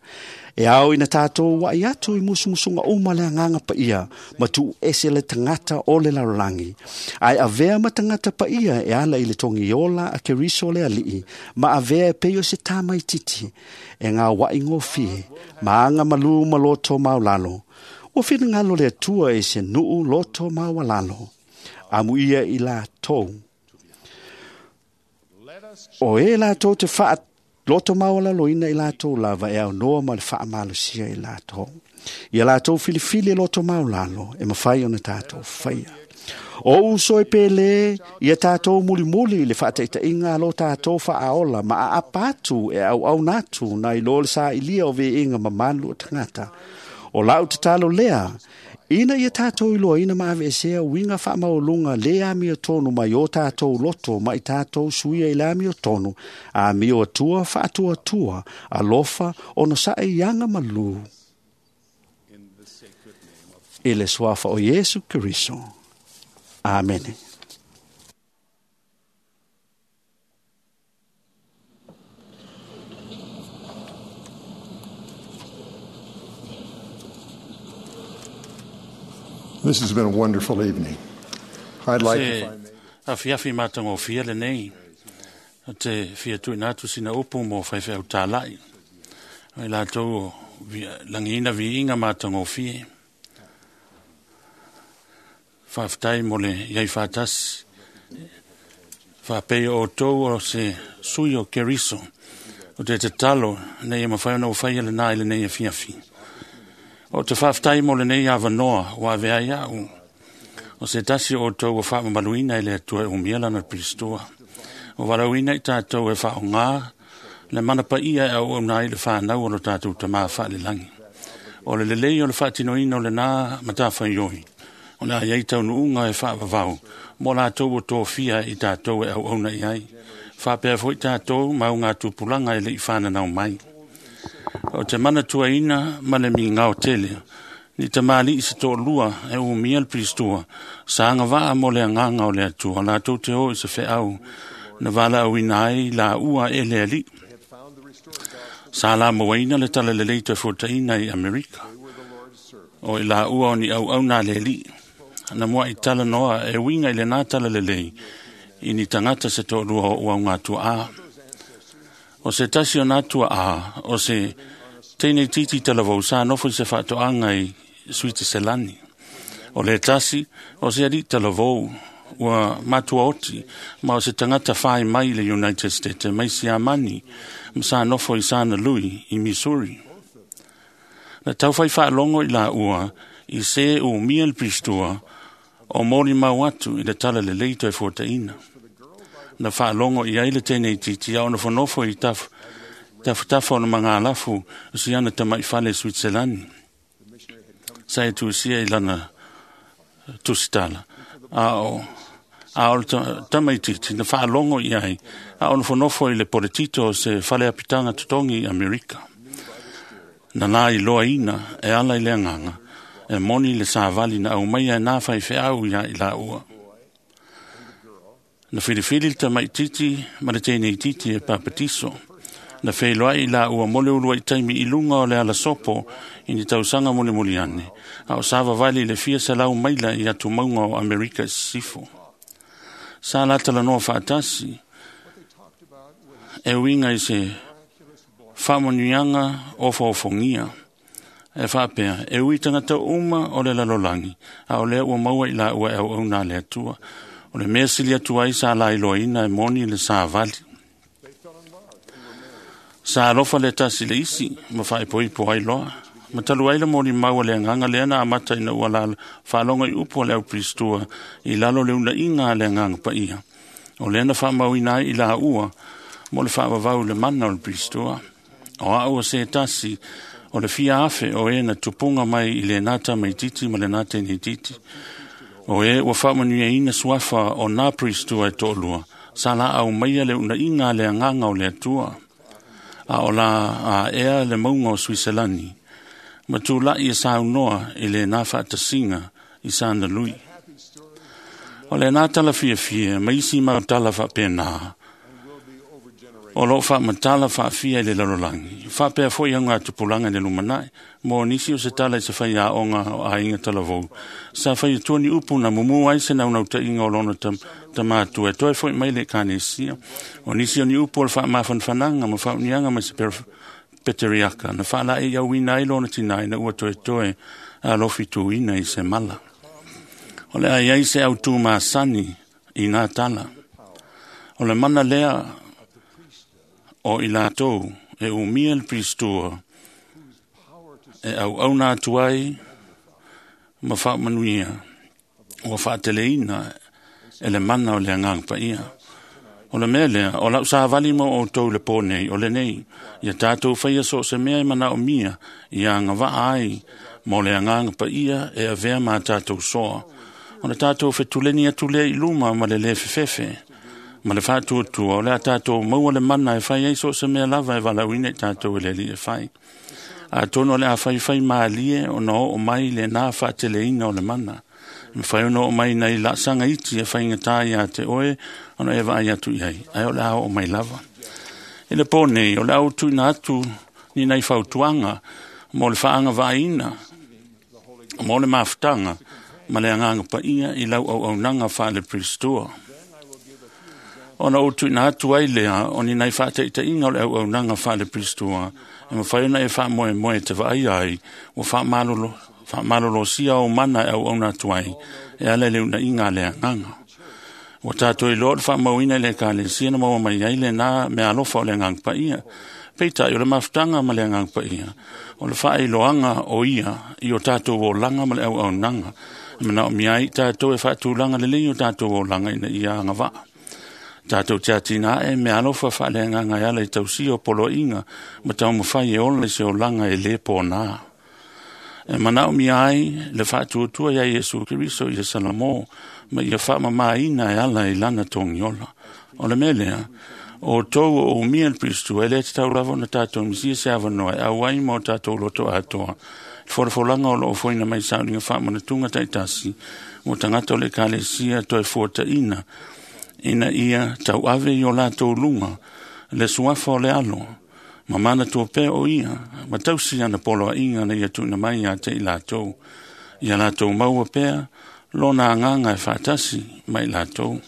D: E ao ina tātou wai atu i musumusunga uma le anganga pa ia, ma tu ese le tangata o le larolangi. Ai avea ma tangata pa ia e ala i le tongi ola a keriso le alii, ma avea e peio se tāmai titi, e ngā wai ngōfie, ma anga malu maloto maulalo. O whingalo le atua e se nuu loto maualalo. Amu ia i la tau. O e la tau te wha loto maualalo ina i la tau lava e au noa ma le whaamalosia i la tau. Ia la tau filifili loto maulalo e mawhai ona tātou whaia. O uso e pele, ia tātou mulimuli le whaataitainga lo tātou whaaola ma a apatu e au au natu na i lo le sa ilia o ve inga mamalu o tangata. O lau te talo lea, ina ia tātou iloa ina maave esea winga whaamaulunga le amio tonu mai o tātou loto mai tātou suia i le amio tonu, a mio atua whaatua tua, alofa ono sa e ianga malu. I le suafa o Yesu Kristo. Amene.
F: This has been a wonderful evening. I'd like
J: Se
F: if I may.
J: a fiafi mātango fia le nei, o te fia tuina atu sina upu mo whaiwhai tālai. O i lātou o langiina viinga mātango fie. Whawhtai mo le iai whātasi. Whapei o tau o se sui o Keriso. O te te talo nei e mawhai ona o whai ele nā ele nei e fiafi. O te whawhtai mo le nei awanoa o ave ai au. O se tasi o tau o whaamamaluina ele atua e umiela na Pristoa. O warauina i tātou e whaonga le mana pa ia e au nā i le whanau o lo tātou tamā whaalelangi. O le lelei o le whaatinoina o le nā matawhai oi. O nā iei tau nuunga e whaavavau. Mo lātou o tō fia i tātou e au auna i ai. Whapea foi tātou mau ngā tupulanga e le i whananau mai. O te mana tuaina ma le mi ngao tele. Ni te maali i se tō lua e umia le Pristua. Saanga waa mo le anganga o le atua. Lātou te o i se wheau. Na wala au ina ai la ua e le ali. Sa la mauaina le talalelei toe fuataina i Amerika. O i la ua o ni au au nā le li. Na mua i tala noa e winga i le nā talalelei i ni tangata se tō lua o ua ngā tua a. O se tasi o nā tua a, o se teine titi talavou sa nofo i se whaatoanga i Suitiselani. O le tasi, o se ari talavou ua matua oti, ma o se tangata whai mai le United States, mai Siamani, ma sa nofo i Sana Lui i Missouri. Na tauwhai whaalongo i la ua, i se u mia le pristua, o mori mau atu i le tala le leito e fuataina. Na whaalongo i aile tēnei titi, a ona whanofo i tafutafa o na mangalafu, o si ana tamai fale Switzerland. Sa e tusia i lana tusitala. A o le tamai titi, na whaalongo i ai, a ona whanofo i le poletito o se fale apitanga tutongi i Amerika. Na la i loa ina, e ala i le anganga, e moni le sāvali na au mai e nā whai wheau ia i la ua. Na whiriwhiri le tamai titi, ma le tēnei titi e papatiso. Na wheiloa i la ua mole ulua i taimi i lunga o le ala sopo i ni tausanga mole mole ane. A o sāva vali le fia sa lau maila i atu maunga o Amerika sifo. Sa la talanoa whaatasi, e winga i se whaamanuianga o whaofongia. E whaapea, e ui tangata uma o le lalolangi, a o lea ua maua i la ua e au au nā le atua. O le mea sili atu ai sa la iloaina e moni le sa vali. Sa alofa le tasi le isi, ma whaepoipo ai loa. Ma talu ai le moni maua le anganga lea na amata ina ua la whaalonga i upo le au pristua i lalo le una inga le anganga pa ia. O lea na whaamauina ai i la ua, mo le whaawawau le mana o le pristua. O a ua se tasi, o le fia afe o e na tupunga mai i le nata mai titi ma le nata ni titi. O e ua whaamanuia ina suafa o nā pristua e tōlua, sa la au maia le una inga le anganga o le atua. A o la a ea le maunga o Suiselani, ma tūlai e saunoa i le nā whaatasinga i sana lui. O le nā tala fia fia, ma isi mau tala whaapena, o lo whaamatala whaafia i le lalolagi. Whaapea foi au ngā tupulanga i le lumanai, mo nisi o se tala i se whai a onga o ainga talavou. Sa whai atua ni upu na mumu ai se naunau tainga o lona tamatua, e toe foi mai le kanesia. O nisi o ni upu o le whaamafanfananga ma whaunianga mai se peteriaka, na whaala e iau ina ai lona tinai na ua toe toe a lofi tuina i se mala. O le ai ai se au tū maasani i ngā tala. O le mana lea o i lātou e umia le pristua e au au nā atu ai ma whaamanuia ua whaateleina e le mana o le anganga paia. O le mea lea, o lau sāvali mo o tau le pō nei, o le nei, ia tātou whaia so se mea e mana o mia, ia anga waa ai, mo le anganga paia e avea mā tātou soa. O le tātou whetuleni atu lea i luma ma le le fefefe, ma le whaatuatua, o le a tātou maua le mana e whai ai so se mea lava e walauina i tātou e le li e whai. A tono le a whai whai maalie o na o mai le nā whaateleina o le mana. Me whai ono o mai nei la sanga iti e whai ngā ia te oe, ono e vai atu i ai. Ai o le ao o mai lava. E le pō nei, o le au tuina atu ni nei whautuanga, mo le whaanga vaina, mo le mafutanga, ma le anganga paia i lau au au nanga wha le pristua. Ona o tuina atu ai lea, o ni nei whaataita inga o le au au nanga wha le pristua, e ma whai ona e wha moe moe te vaai ai, o wha malolo, wha sia o mana e au au nā tuai, e ala le una inga le anganga. O tātou i loa le whaamauina i le kālesia na maua mai ai le nā mea alofa o le anganga paia. Peitai o le mafutanga ma le anganga paia. O le whaailoanga o ia i o tātou o langa ma le au au nanga. Mana o mia i tātou e whaatulanga le lei o tātou o langa ina ia anga waa. Tātou te atina e mea alofa wha le anganga e ala i tausi o polo inga ma tau mawhai e ola i se o langa e le pō nā. E manao mia ai le whaatuatua ia Iesu Keriso i Salamo ma ia whaamamaina e ala i lana tongiola. O le mea lea, o tau o mia le Kristu e le te tau lava na tātou misia se awanoa e auai mo tātou loto atoa. Folafolanga o loo foina mai sauninga whaamanatunga taitasi mo tangata o le kalesia toe fuataina ina ia tau ave i o lātou lunga le suafa o le alo
K: Ma manatua pea o ia, ma tausi ana poloaiga na ia tuuina mai ia te i latou. Ia latou maua pea lona agaga e faatasi ma i latou.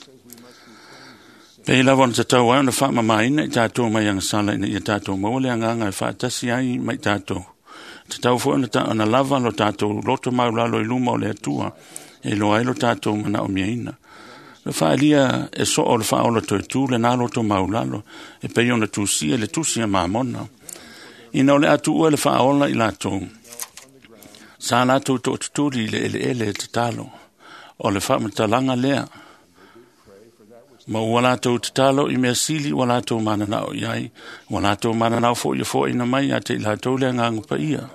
K: Pei lava ona tatau ai ona faamamaina i tatou mai agasala ina ia tatou maua le agaga e faatasi ai ma i tatou. Tatau foi ona lava lo tatou loto maulalo i luma o le Atua, e iloa ai lo tatou manaomiaina. Le faaalia e soo o le faaola toetu lena loto maulalo, e pei ona tusia le tusi a Mamona. Ina o le a tuua le faaola i latou, sa latou tootutuli i le eleele e tatalo. O le faamatalaga lea, ma ua latou tatalo i mea sili ua latou mananao i ai, ua latou mananao foi e foaina mai ia te i latou le agaga paia.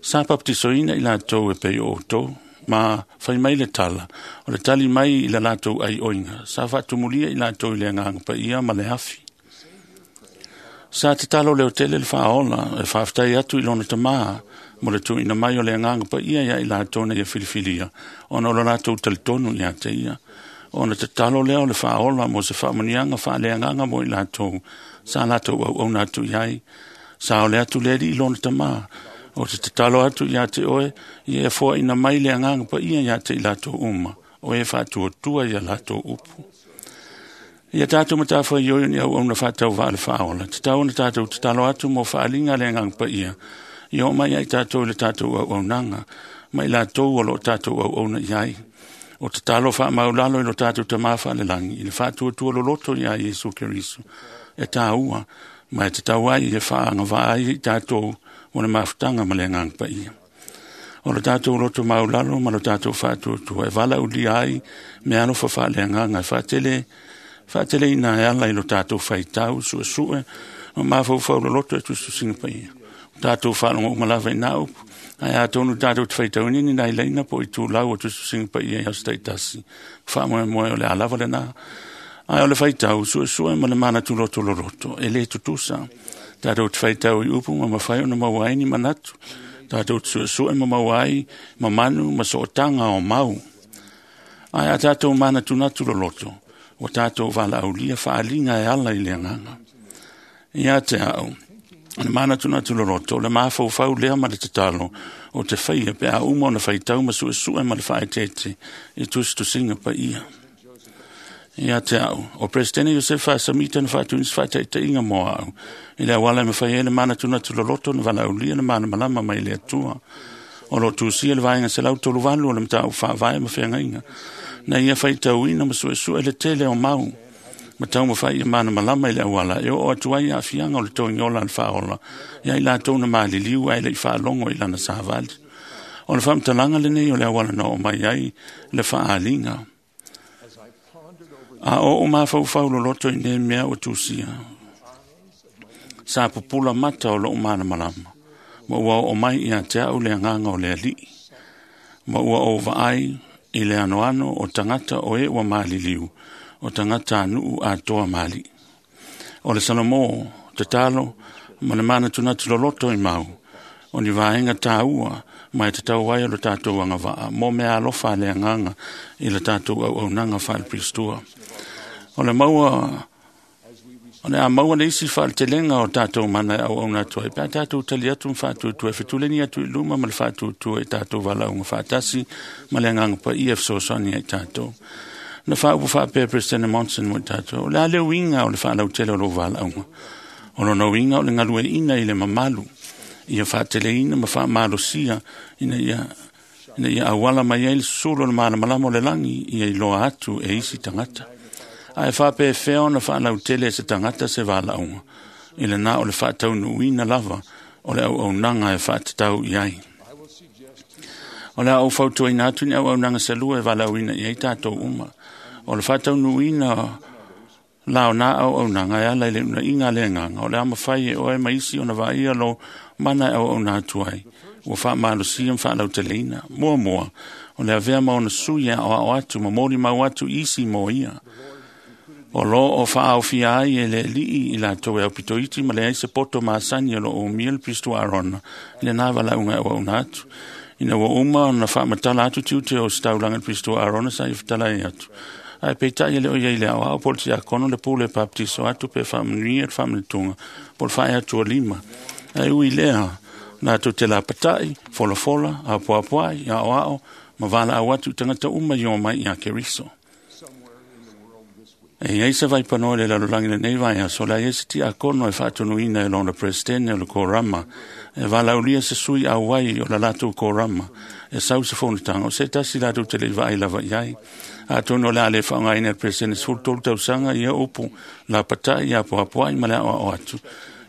K: Sa papatisoina i latou e pei o outou, ma fai mai le tala, o le tali mai i la latou aioiga, sa faatumulia i latou i le agaga paia ma le afi. Sa tatalo leo tele le faaola, e faafetai atu i lona tamā, mo le tuuina mai o le agaga paia ia i latou na ia filifilia, ona o lo latou talitonu ia te ia. Ona tatalo lea o le faaola mo se faamuniaga faaleagaga mo i latou, sa latou auauna atu i ai. Sa ole atu le alii lona tamā, o te tatalo atu ia te oe, ia e foaina mai le agaga paia ia te i latou uma, o e faatuatua ia latou upu. Ia tatou matafaioi ni auauna faatauvaa le faaola, tatau ona tatou tatalo atu mo faaaliga le agaga paia, ia oo mai ai tatou i le tatou auaunaga, ma i latou o loo tatou auauna i ai. O tatalo faamaulalo i lo tatou tamā faalelagi, i le faatuatua loloto ia Iesu Keriso, e tāua, ma e tatau ai e faaagavaa ai i tatou mo le mafutaga ma le agaga paia. O lo tatou loto maulalo ma lo tatou faatuatua e valaulia ai mea alofa faaleagaga e faateleina e ala i lo tatou faitau, suesue, ma mafaufau loloto e tusitusiga paia. O tatou faalogo uma lava i nā upu, ae atonu tatou te faitauina ni nai laina po o itulau o tusitusiga paia i aso taitasi. Faamoemoe o le a lava lena. Ae o le faitau, suesue ma le manatu loto loloto, e le tutusa. Tatou te faitau i upu ma mafai ona maua ai ni manatu. Tatou te suesue ma maua ai mamanu ma sootaga o mau. Ae a tatou manatunatu loloto, ua tatou valaaulia faaaliga e ala i le agaga. Ia te au, o le manatunatu loloto, o le mafaufau lea ma le tatalo, o te faia pe a uma ona faitau ma suesue ma le faaeteete i tusitusiga paia. Ia te au, o Presidente Josefa Samita na faatuina se faataitaiga mo au, i le auala e mafai ai le manatunatu loloto na valaaulia le malamalama mai le Atua. O lo tusia le vaega 138 o le mataupu faavae ma feagaiga, na ia faitauina ma suesue le tele o mau, ma taumafai ia malamalama i le auala e oo atu ai aafiaga o le togiola a le faaola, ia i latou na maliliu ae le i faalogo i lana savali. O le faamatalaga lenei o le auala na oo mai ai le faaaliga. A o mafaufau loloto i nei mea ua tusia, sa pupula mata o lou malamalama, ma ua oo mai ia te au le agaga o le alii, ma ua ou vaai i le anoano o tagata o e ua maliliu, o tagata nuu atoa mali. O le Salomō, tatalo, ma le manatunatu loloto i mau, o ni vaega tāua, ma e tatau ai o le tatou agavaa, mo mea alofa le agaga i le tatou auaunaga faalepilistua. O le maua, o le a maua le isi faaletelega o tatou mana e auauna atu ai, pe a tatou tali atu ma faatuatua e fetuleni atu i luma ma le faatuatua i tatou valaauga faatasi ma le agaga paia e fesoasoani ai tatou. Na faaupu faapea President Monson mo i tatou, o le a le uiga o le faalautele o lou valaauga. O lona uiga o le galueaiina i le mamalu, ia faateleina ma faamalosia ina ia auala mai ai le susulu o le malamalama o le lagi ia iloa atu e isi tagata. Ae faapefea ona faalautele e se tagata se valaauga, i lena o le faataunuuina lava o le auaunaga e faatatau i ai. O le a ou fautuaina atu ni auaunaga selua e valaauina i ai tatou uma. O le faataunuuina la o nā auaunaga e ala i le unaiga a le agaga, o le a mafai e oe ma isi ona vaaia lo mana e auauna atu ai, ua faamalosia ma faalauteleina. Muamua, o le avea ma ona sui e aoao atu ma molimau atu isi mo ia. O lo o faaofia ai e le alii i latou e aupitoiti ma leai se poto masani o lo o umia le Pisto Arona i lena valaauga e auauna atu. Ina ua uma ona faamatala atu tiute o se taulaga i le Pisto Arona sa ia fetalai atu. Ae peitai e le o iai le aoao po o le tiakono le pule e papatiso atu pe faamanuia le faamanatuga po o le faae atu o lima. Ae ui lea latou te lapatai, folafola, apoapoai, aoao ma valaau atu i tagata uma i o mai ia Keriso. E iai se vaipanoa i le lalolagi lenei vaiaso, le a iai se tiakono e faatonuina e lona peresetene o le korama, e valaaulia se sui auai o la latou korama, e sau se fonotaga, o se tasi latou te le i vaai lava i ai. Atonu o le a le faaaogaina e le peresetene 13 tausaga ia upu lapatai, apoapoai ma le aoao atu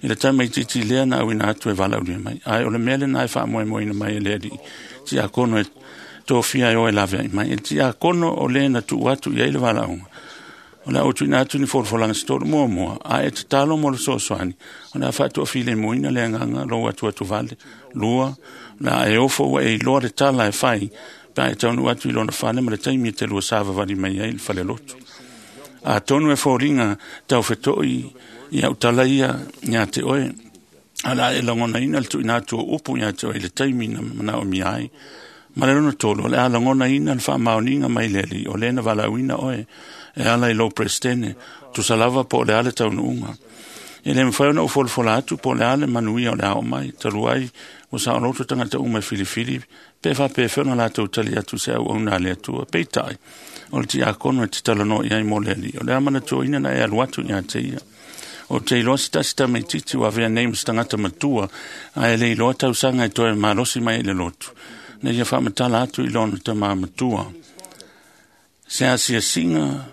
K: i le tamaitiiti lea na auina atu e valaaulia mai. Ae o le mea lena e faamoemoeina mai e le alii tiakono e tofia e o e laveai mai. E le tiakono o le na tuu atu i ai le valaauga, o le a ou tuuina atu ni folafolaga se tolu muamua, a e tatalo mo le fesoasoani, o le a faatoafilemuina le agaga lou atuatuvale. Lua, o le a e ofo ua e iloa le tala e fai, pe a e taunuu atu i lona fale ma le taimi e te lua savavali mai ai i le falelotu. Atonu e foliga taufeto'i i au tala ia ia te oe, a o le a e lagonaina le tuuina atu o upu ia te oe i le taimi na manaomia ai. Ma le lona tolu, o le a lagonaina le faamaoniga mai le Alii o lē na valaauina oe e ala i lou peresetene, tusa lava po o le a le taunuuga. E le mafai ona ou folafola atu po o le a le manuia o le a oo mai, talu ai ua saoloto tagata uma e filifili pe faapefea ona latou tali atu i se auauna a le Atua. Peitai, o le tiakono e te talanoa i ai mo le Alii, o le a manatuaina na e alu atu ia te ia. O te iloa se tasi tamaitiiti ua avea nei ma se tagata matua, ae le iloa tausaga e toe malosi mai ai i le lotu, na ia faamatala atu i lona tamā matua. Se asiasiga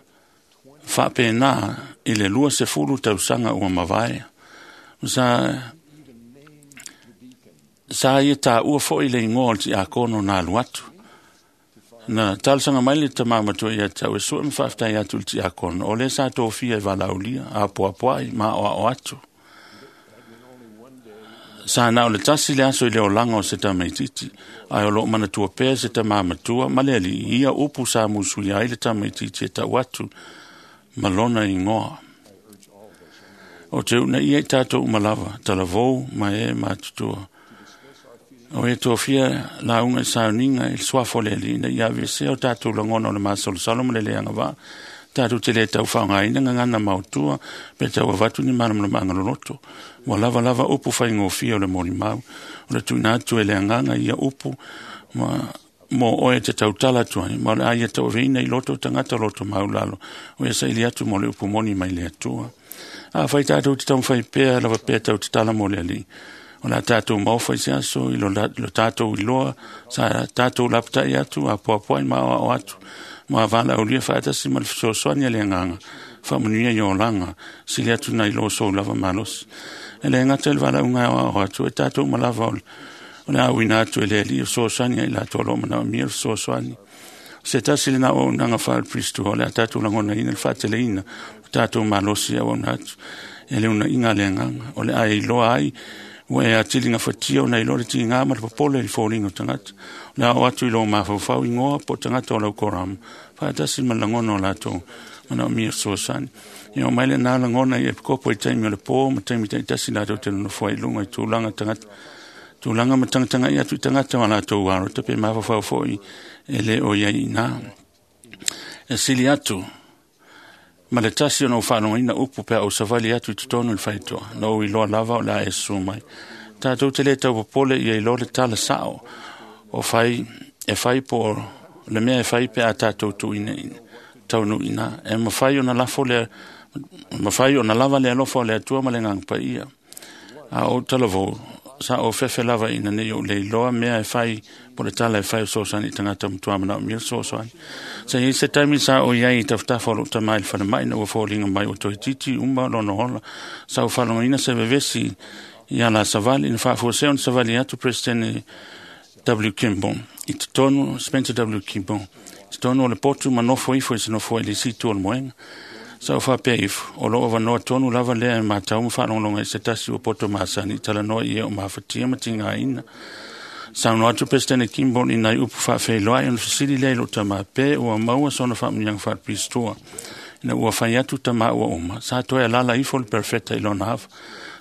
K: faapena i le 20 tausaga ua mavae. Sa ia taua foi le igoa o le tiakono na alu atu. Na talosaga mai le tamā matua ia te au e sue ma faafetai atu i le tiakono, o lea sa tofia e valaaulia, apoapoai ma aoao atu. Sa na o le tasi le aso i le olaga o se tamaitiiti, ae o loo manatua pea se tamā matua ma le alii ia upu sa musuia ai le tamaitiiti e tau atu ma lona igoa. O te uunaia i tatou uma lava, talavou ma e matutua. O e tofia lauga i sauniga i le suafa o le Alii, ina ia aveesea o tatou lagona o le masalosalo ma le le agavaa, tatou te le taufaaaogaina gagana maotua pe tau avatu ni malamalamaga loloto. Ua lava lava upu faigofie o le molimau, o le tuuina atu e le agaga ia upu ma mo oe te tautala atu ai, ma o le a ia tauaveina i loto o tagata loto maulalo, o ia saili atu mo le upu moni mai le Atua. Afai tatou te taumafai pea lava pea tau tatala mo le Alii, o le a tatou maofa i se aso i lo tatou iloa, sa tatou lapatai atu, apoapoai ma aoao atu, ma valaaulia faatasi ma le fesoasoani a le agaga, faamanuia i olaga, sili atu nai lo sou lava malosi. E le gata i le valaauga e aoao atu, e tatou uma lava o le auina atu e le Alii o fesoasoani ai latou o lo o manaomia le fesoasoani. Se tasi lena o auaunaga faale-Kristo, o le a tatou lagonaina le faateleina o tatou malosi e auauna atu e le unaiga a le agaga, o le a e iloa ai ua e atili gafatia ona iloa le tiga ma le popole i le foliga o tagata. O le a oo atu i lou mafaufau igoa po o tagata o lau korama, faatasi ma le lagona o latou manaomia fesoasoani. Ia o mai lena lagona i epikopo i taimi o le pō ma taimi taitasi latou te nonofo ai i luga i tulaga tagata tulaga ma tagatagai atu i tagata o latou arota pe mafaufau foi e le o iai i ina. E sili atu ma le tasi ona ou faalogoina upu pe a ou savali atu i totonu i le faitoa, na ou iloa lava o le a e susu mai. Tatou te le taupopole ia iloa le tala sao o fai, e fai po o le mea e fai pe a tatou tuuina taunuu i ina. E mafai ona lafo le, mafai ona lava le alofa o le Atua ma le Agaga Paia. A ou talavou, sa ou fefe lava ina nei ou le iloa mea e fai po le tala e fai o fesoasoani i tagata matua manaomia le fesoasoani. Sa i ai se taimi sa ou i ai i tafatafa o lou tama i le falemai ina ua foliga mai ua toeitiiti uma lona ola. Sa ou faalogoina se vevesi ia la savali na faafuasea ona savali atu Peresetene W. Kimball i totonu, Spencer W. Kimball i totonu o le potu ma nofo ifo i se nofoa i le isi itu o le moega. Sa ou faapea ifo, o lou avanoa tonu lava lea e matau ma faalogologo ai i se tasi ua poto masani i talanoa i e o mafatia ma tigaina. Saunoa atu Peresetene Kimball i nai upu faafeiloai ona fesili lea i lou tama pe ua maua sona faamanuiaga faale-Pistoa. Ina ua fai atu tama ua uma, sa toe alala ifo le perofeta i lona ava.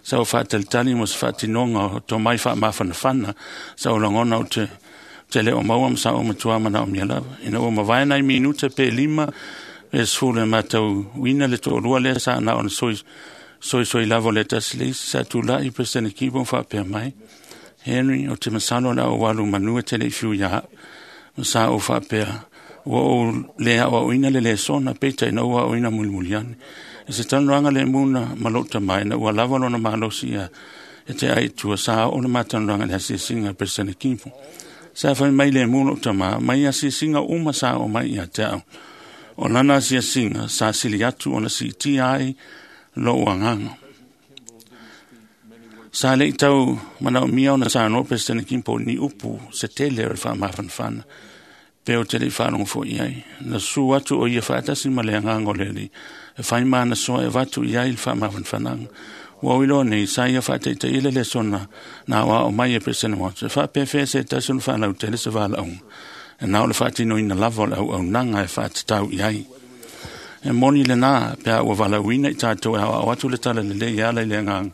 K: Sa ou faatalitali mo se faatinoga o tomai faamafanafana, sa ou lagona ou te le o maua ma sa ou matua manaomia lava. Ina ua mavae nai minute pe 5 Le sefulu e matauina le toalua lea sa na ona soisoi lava o le tasi le isi sa tula'i Peresetene Kibo ma faapea mai, Henry, o te masalo o le a ou alu manu e te le'i fiu iā a'u. Ma sa ou faapea, ua ou lē aʻoaʻoina le lesona, peitai na ou aʻoina mulimuli ane. I se talanoaga lemu na ma loʻu tamā ina ua lava lona malosi ia e te ai i tua sa oo le matalanoaga i le asiasiga a Peresetene Kibo. Sa fai mai lemu loʻu tamā, mai asiasiga uma sa oo mai ia te a'u. O lana asiasiga sa sili atu ona siitia ai loʻu agaga. Sa leʻi tau manaʻomia ona saunoa Peresetene Kimpo ni upu se tele o le faamafanafana pe o te leʻi faalogo foʻi ai. Na susu atu o ia faatasi ma le agaga o le Alii e fai ma ana soa e avatu i ai le faamafanafanaga. Ua ou iloa nei sa ia faataitaia le lesona na aoao mai e Peresetene Watts e faapefea se tasi ona faalautele se valaauga e na o le faatinoina lava o le auaunaga e faatatau i ai. E moni lenā pe a ua valaauina i tatou e aoao atu le tala lelei e ala i le agaga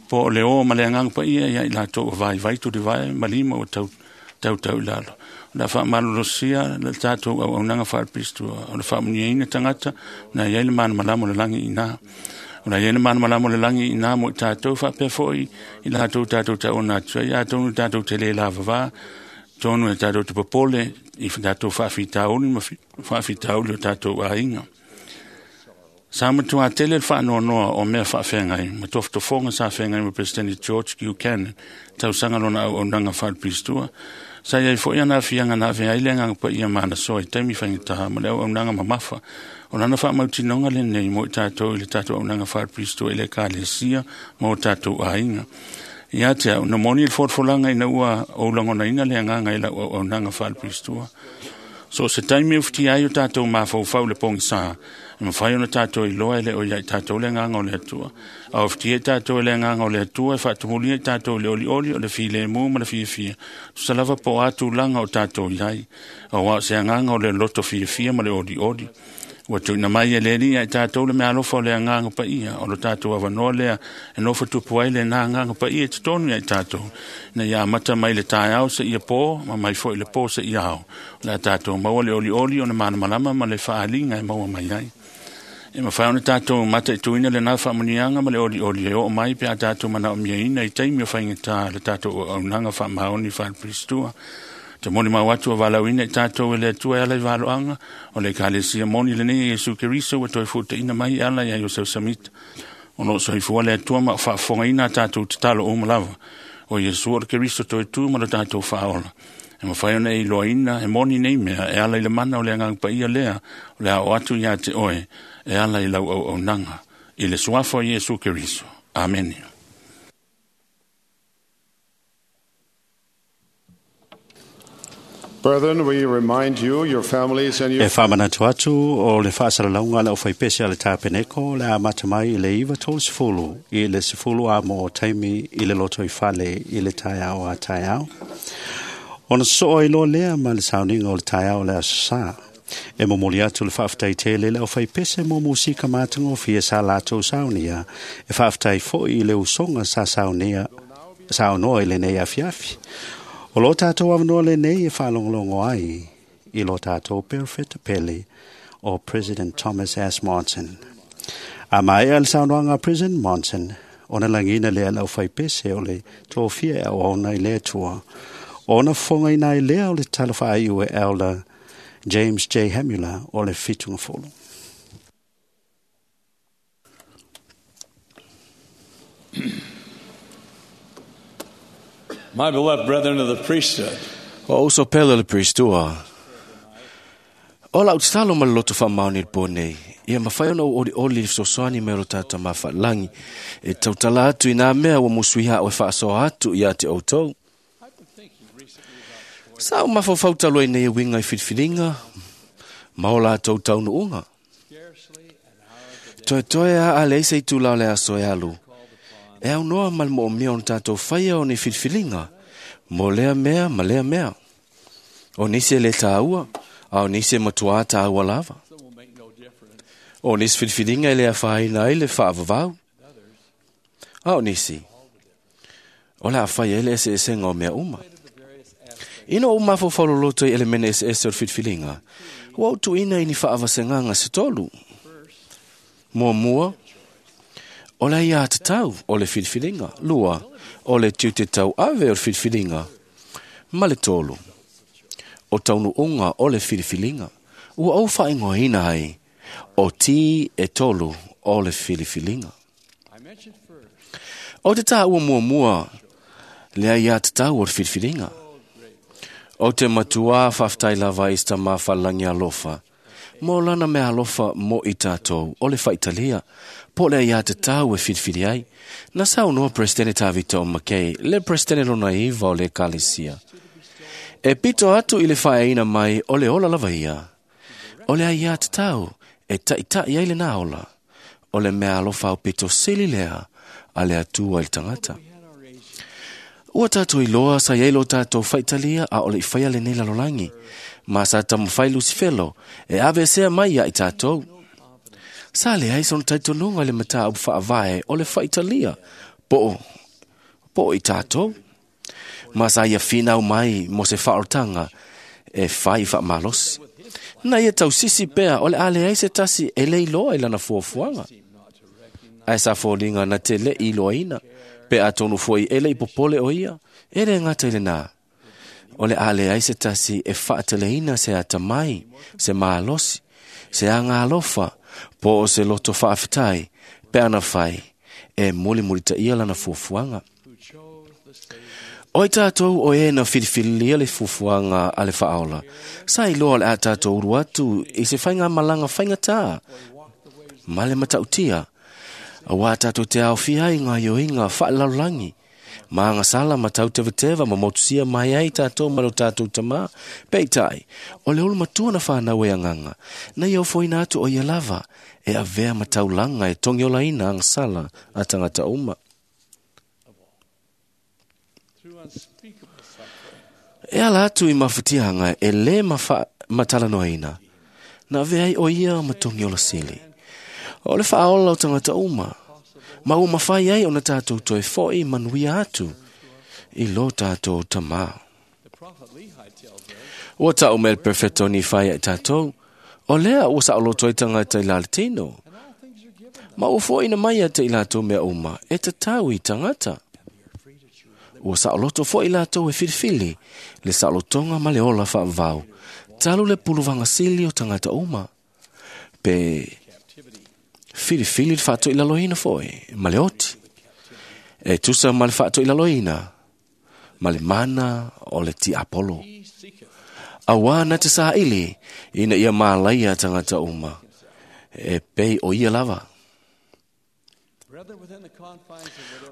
K: po o le ō ma le agaga paia ia i latou ua vaivai tulivae ma lima ua tautau i lalo. O le a faamalolosia le tatou auaunaga faalepilistua o le faamuniaina tagata na iai le malamalama o le lagi i ina. O la iai le malamalama o le lagi i ina mo i tatou faapea foʻi i latou tatou tauona atu ai atonu tatou te lē lavavā tonu e tatou te popole i tatou faafitauli ma faafitauli o tatou aiga. Sa matuā tele le faanoanoa o mea faafeagai ma tofotofoga sa feagai ma Peresetene George Buchanan tausaga lona auaunaga faalepilistua. Sa iai foʻi ana aafiaga na avea ai le agaga paia ma ana soa i taimi faigata ma le auaunaga mamafa. O lana faamautinoga lenei mo i tatou i le tatou auaunaga faalepilistua i le ekalesia ma o tatou aiga. Ia te a'u, na moni le folafolaga ina ua ou lagonaina le agaga i lau auaunaga faalepilistua. So o se taimi e ufitia ai o tatou mafaufau i le pogisā, e mafai ona tatou iloa e le o ia i tatou le agaga o le Atua. A ufitia i tatou e le agaga o le Atua e faatumulia i tatou i le olioli o le filemu ma le fiafia, tusa lava po o a tulaga o tatou i ai, auā o se agaga o le loto fiafia ma le olioli. Ua tuuina mai e le Alii ia i tatou le meaalofa o le agaga paia, o lo tatou avanoa lea e nofo tupu ai lenā agaga paia i totonu ia i tatou, ina ia amata mai le taeao seia pō, ma mai foʻi le pō seia ao. O le a tatou maua le olioli ona malamalama ma le faaaliga e maua mai ai. E mafai ona tatou mataituina lenā faamuniaga ma le olioli e oo mai pe a tatou manaomiaina i taimi o faigata le tatou auaunaga faamaoni faalepilistua. Te molimau atu ua valaauina i tatou e le Atua e ala i valoaga o le ekalesia moni lenei e Iesu Keriso ua toe fuataina mai e ala ia Iosef Samita. O loo soifua le Atua ma o faafofogaina a tatou tatalo uma lava. O Iesu o le Keriso toe tu ma lo tatou faaola. E mafai ona e iloaina e moni nei mea e ala i le mana o le agaga paia lea o le a oo atu ia te oe e ala i lau auaunaga. I le suafa o Iesu Keriso. Amene.
F: Brethren, we remind you, your families, and your
D: E faamanatu atu o le faasalalauga a le aufaipese a le tapeneko le amata mai i le 9:30 i le 10 amo o taimi i le loto i fale i le taeao a taeao. Ona sosoo ai loa lea ma le sauniga o le taeao o le aso sā. E momoli atu le faafetai tele i le aufaipese mo musika matagofie sa latou saunia. E faafetai foʻi i le usoga sa saunia saunoa i lenei afiafi. O lo tātou avanoa lenei e faalogologo ai i lo tātou perofeta pele o President Thomas S. Monson. A maea le saunoaga a President Monson, ona lagina lea le aufaipese o le tofia e auauna i le Atua. Ona fofogaina ai lea o le tala faaiu e Elder James J. Hamula o le Fitugafolo.
L: My beloved brethren of the priesthood,
B: O uso pele o le priestua. O lau tatalo ma le loto faamaoni i le pō nei. Ia mafai ona ou olioli i le fesoasoani mai o lo tatou mafaalangi. E tautala atu i nā mea ua musuiha o e faasoa atu ia te outou. Sa o mafaufau talu ai nei e uiga i filifiliga ma o latou taunuuga. Toetoe a a leai se itula o le aso e alu. E aunoa ma le moomia o na tatou faia o ni filifiliga mo lea mea ma lea mea. O nisi e lē tāua, a o nisi e matuā tāua lava. O nisi filifiliga e le afaina ai le faavavau. A o nisi, o le a fai ai le eseesega o mea uma. Ina ou mafaufau loloto i elemene eseese o le filifiliga, ua ou tuuina i ni faavasegaga se tolu. Muamua, o le aiatatau o le filifiliga. Lua, o le tiute tauave o le filifiliga. Ma le tolu, o taunuuga o le filifiliga. Ua ou faaigoaina ai o tī e tolu o le filifiliga. O te taua muamua le aiatatau o le filifiliga. O te matuā faafetai lava i se Tamā Faalelagi alofa, mo lana mea alofa mo i tatou o le faitalia, po o le aiatatau e filifili ai. Na saunoa Peresetene Tavita o Makei, le Peresetene lona iva o le Ekalesia. E pito atu i le faeaina mai o le ola lava ia. O le aiatatau e taita'i ai lenā ola. O le mea alofa aupito sili lea a le Atua i le tagata. Ua tatou iloa sa iai lo tatou faitalia a o le i faia lenei lalolagi, ma sa taumafai Lusifelo e aveesea mai ia i tatou. Sa leai sona talitonuga i le mataupu faavae o le faitalia po o i tatou, ma sa ia finau mai mo se faaolataga e fai faamalosi. Na ia tausisi pea o le a leai se tasi e le iloa i lana fuafuaga. Ae sa foliga na te le i iloaina, pe atonu foi e le i popole o ia, e le gata i lenā. O le a leai se tasi e faateleina se atamai, se malosi, se aga alofa, po o se loto faafetai, pe ana fai, e mulimulitaia lana fuafuaga. O i tatou o e na filifililia le fuafuaga a le Faaola, sa iloa o le a tatou ulu atu i se faigamalaga faigatā ma le matautia, auā tatou te aofia ai i gaoioiga faalelalolagi, ma agasala ma tautevateva ma motusia mai ai tatou ma lo tatou Tamā. Peitai, o le olomatua na fanau e agaga, na ia ofoina atu o ia lava e avea ma taulaga e togiolaina agasala a tagata uma. E ala atu i mafatiaga e lē matalanoaina, na avea ai o ia ma togiola sili. O le faaola o tagata uma, ma ua mafai ai ona tatou toe fo'i manuia atu i lo tatou Tamā. Ua ta'u mai le Perofeta o Nifai ia i tatou, o lea ua saoloto ai tagata i la le tino, ma ua fo'oina mai ia te i latou mea uma e tatau i tagata. Ua saoloto fo'i latou e filifili le saolotoga ma le ola faavavau, talu le puluvaga sili o tagata uma, pe filifili le faatoilaloina fo'i ma le oti, e tusa ma le faatoilaloina ma le mana o le tiapolo. Auā na te saili ina ia malaia tagata uma, e pei o ia lava.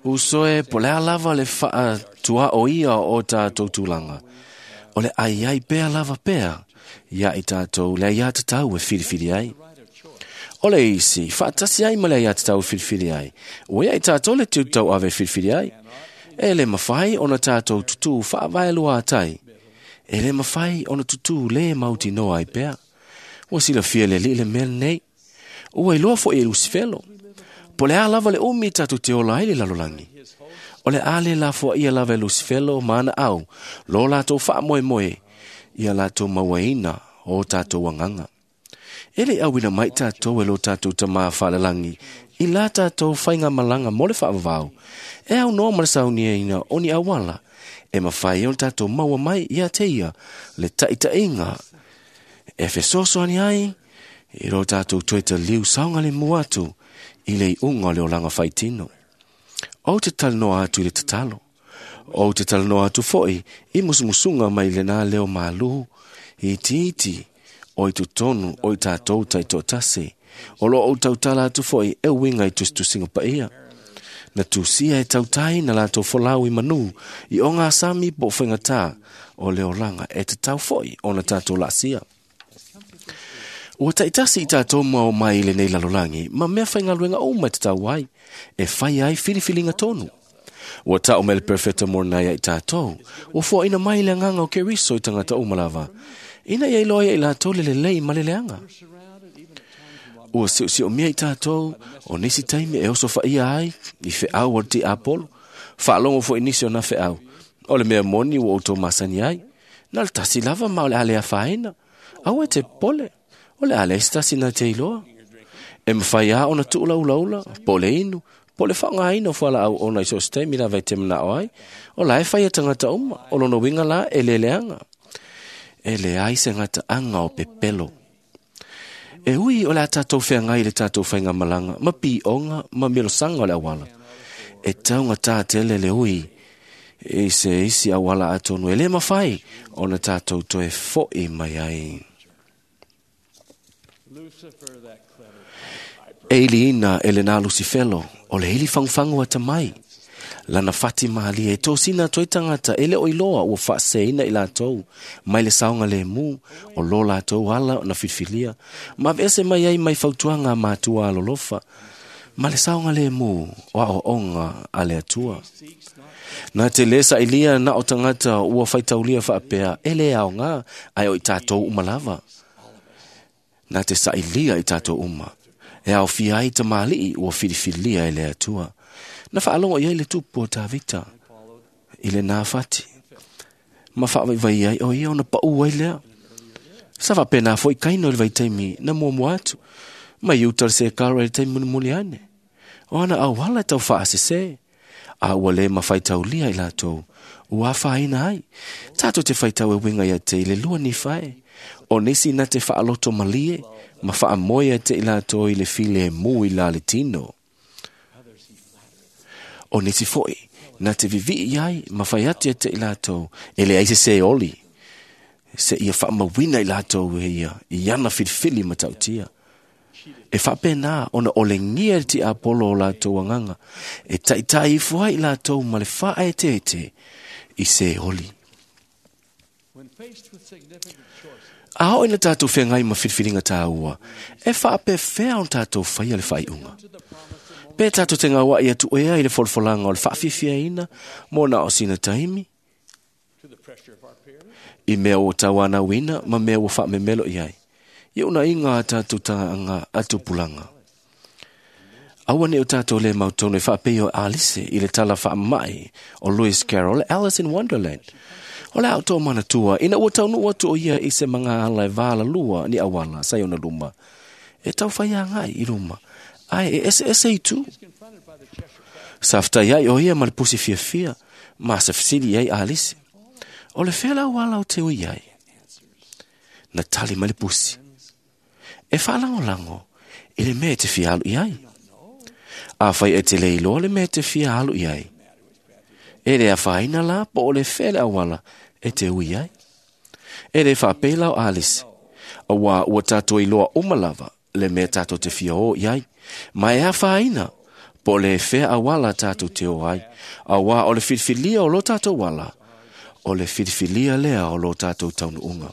B: Uso e, po o le a lava le faatuaoia o tatou tulaga, o le aiai pea lava pea ia i tatou le aiatatau e filifili ai. O le isi, faatasi ai ma le aiatatau e filifili ai, ua ia i tatou le tiute tauave e filifili ai. E le mafai ona tatou tutū faavaeluatai, e le mafai ona tutū lē mautinoa ai pea. Ua silafia e le Alii le mea lenei. Ua iloa fo'i e Lusifelo, po o le a lava le umi tatou te ola ai le lalolagi. O le a le lafoaia lava e Lusifelo ma ana au lo latou faamoemoe ia latou mauaina o tatou agaga. E le i auina mai tatou e lo tatou Tamā Faalelagi i la tatou faigamalaga mo le faavavau, e aunoa ma le sauniaina o ni auala e mafai ai ona tatou maua mai ia te ia le taʻitaʻiga e fesoasoani ai i lo tatou toe taliu saogalemu atu i le iuga o le olaga faitino. Ou te talanoa atu i le tatalo. Ou te talanoa atu fo'i i musumusuga mai lenā leo malū itiiti o i totonu o i tatou taitoatasi. O lo o ou tautala atu fo'i e uiga i tusitusiga paia. Na tusia e tautai na latou folau i manū i ogasami po o faigatā o le olaga e tatau fo'i ona tatou laasia. Ua taitasi i tatou ma o mai i lenei lalolagi ma mea faigaluega uma e tatau ai, e fai ai filifiliga tonu. Ua ta'u mai le Perofeta Moronai ia i tatou, ua foaina mai le agaga o Keriso i tagata uma lava, ina ia iloa ai e i latou le lelei ma le leaga. Ua siosiomia i tatou o nisi taimi e oso faia ai i feau o le tiapolo, faalogo foi nisi o na feau. O le mea moni ua outou masani ai, Na le tasi lava ma o le a le afaina. Aua e te popole, o le a leai se tasi na te iloa. E mawhai a ona tuula ula ula, po le inu, po le whaongaina o fualaau ona i so o se taimi lava e te manao ai, o la e whai a tangata uma, o lona winga la e leleanga. E leai se gataʻaga o pepelo. E ui o le a tatou feagai i le tatou faigamalaga ma piʻoga ma milosaga o le auala. E taugatā tele le ui i se isi auala atonu e lē mafai ona tatou toe foʻi mai ai. E iliina e lenā Lusifelo o le ili fagufagu atamai. Lana fati malie e tosina atu ai tagata e le o iloa ua faaseseina i latou mai le saogalēmū o lo latou ala na filifilia ma aveese mai ai mai fautuaga a matua alolofa ma le saogalēmū o aoaoga a le Atua. Na te lē sailia na o tagata ua faitaulia faapea e lē aogā ae o i tatou uma lava. Na te sailia i tatou uma e aofia ai tamalii ua filifilia e le Atua. Na faalogo i ai le tupu o Tavita i lenā fati ma faavaivai ai o ia ona paʻu ai lea. Sa faapenā foʻi Kaino i le vaitaimi na muamua atu mai uta le sekara i le taimi mulimuli ane. O ana auala e tau faasesē a ua lē mafaitaulia i latou ua afaina ai. Tatou te faitau e uiga ia te i le lua Nifae. O nisi na te faaloto malie ma faamoe ia te i latou i le filemu i la le tino. O nisi foʻi na te vivii ai ma fai atu ia te i latou e leai se sē oli seia faamauina i latou e ia i ana filifili matautia. E faapenā ona olegia le tiapolo o latou agaga e taʻitaʻi ifo ai i latou ma le faaeteete i sē oli. A oo ina tatou feagai ma filifiliga tāua, e faapefea ona tatou faia le faaiuga. Pe tatou te gauaʻi atu ea i le folafolaga o le faafiafiaina mo na o sina taimi, i mea ua tauanauina ma mea ua faamemelo i ai, i unaiga a tatou tagaaga a tupulaga. Aua ne o tatou lē mautonu e faapei o Alice i le tala faamamaʻi o Lewis Carroll Alice in Wonderland. O le a outou manatua ina ua taunuu atu o ia i se magaala e valalua ni auala sa i ona luma. E taufai agai i luma, ae e eseese itu. Sa fetai ai o ia ma le pusi fiafia, ma sa fesili ai Alice. O le fea le auala o te ui ai? Na tali mai le pusi. E faalagolago i le mea e te fia alu i ai. Afai e te le iloa le mea e te fia alu i ai. E le afaina la po o le fea le auala e te ui ai. E le faapei la o Alice. Auā ua tatou iloa uma lava le mea tatou te fia o i ai. Ma e afaina po o le fea auala tatou te o ai. Auā o le filifilia o lo tatou ala, o le filifilia lea o lo tatou taunuuga.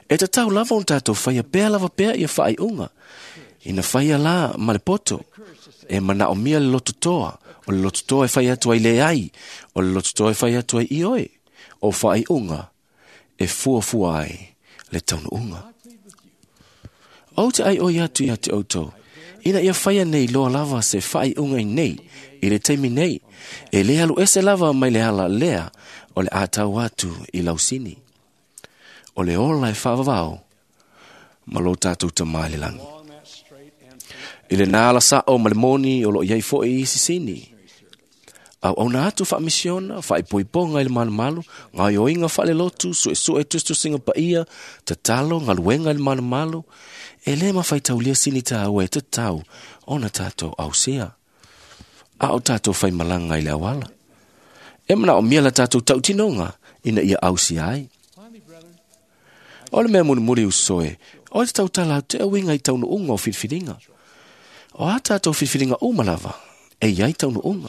B: E tatau lava ona tatou faia pea lava pea ia faaiuga. Ina faia la ma le poto, e manaomia le lototoa, o le lototoa e fai atu ai leai, o le lototoa e fai atu ai ioe, o faaiuga e fuafua ai le taunuuga. Ou te aioi atu ia te outou, ina ia faia nei loa lava se faaiuga i nei, i le taimi nei, e lē alu ese lava mai le ala lea o le a tau atu i lausini. O le ola e faavavao ma lo tatou Tamā i le lagi. I lenā ala saʻo ma le moni o loo i ai foʻi isi sini. Auauna atu faamisiona, faaipoipoga i le malumalu, gaoioiga faalelotu, suesue tusitusiga paia, tatalo, galuega i le malumalu, e lē mafaitaulia sini tāua e tatau ona tatou ausia. A o tatou faimalaga i le auala. E manaomia la tatou tautinoga ina ia ausia ai. O le mea mulimuli usoe, o le tautala atu e uiga i taunuuga o filifiliga. O a tatou filifiliga uma lava, e i ai taunuuga.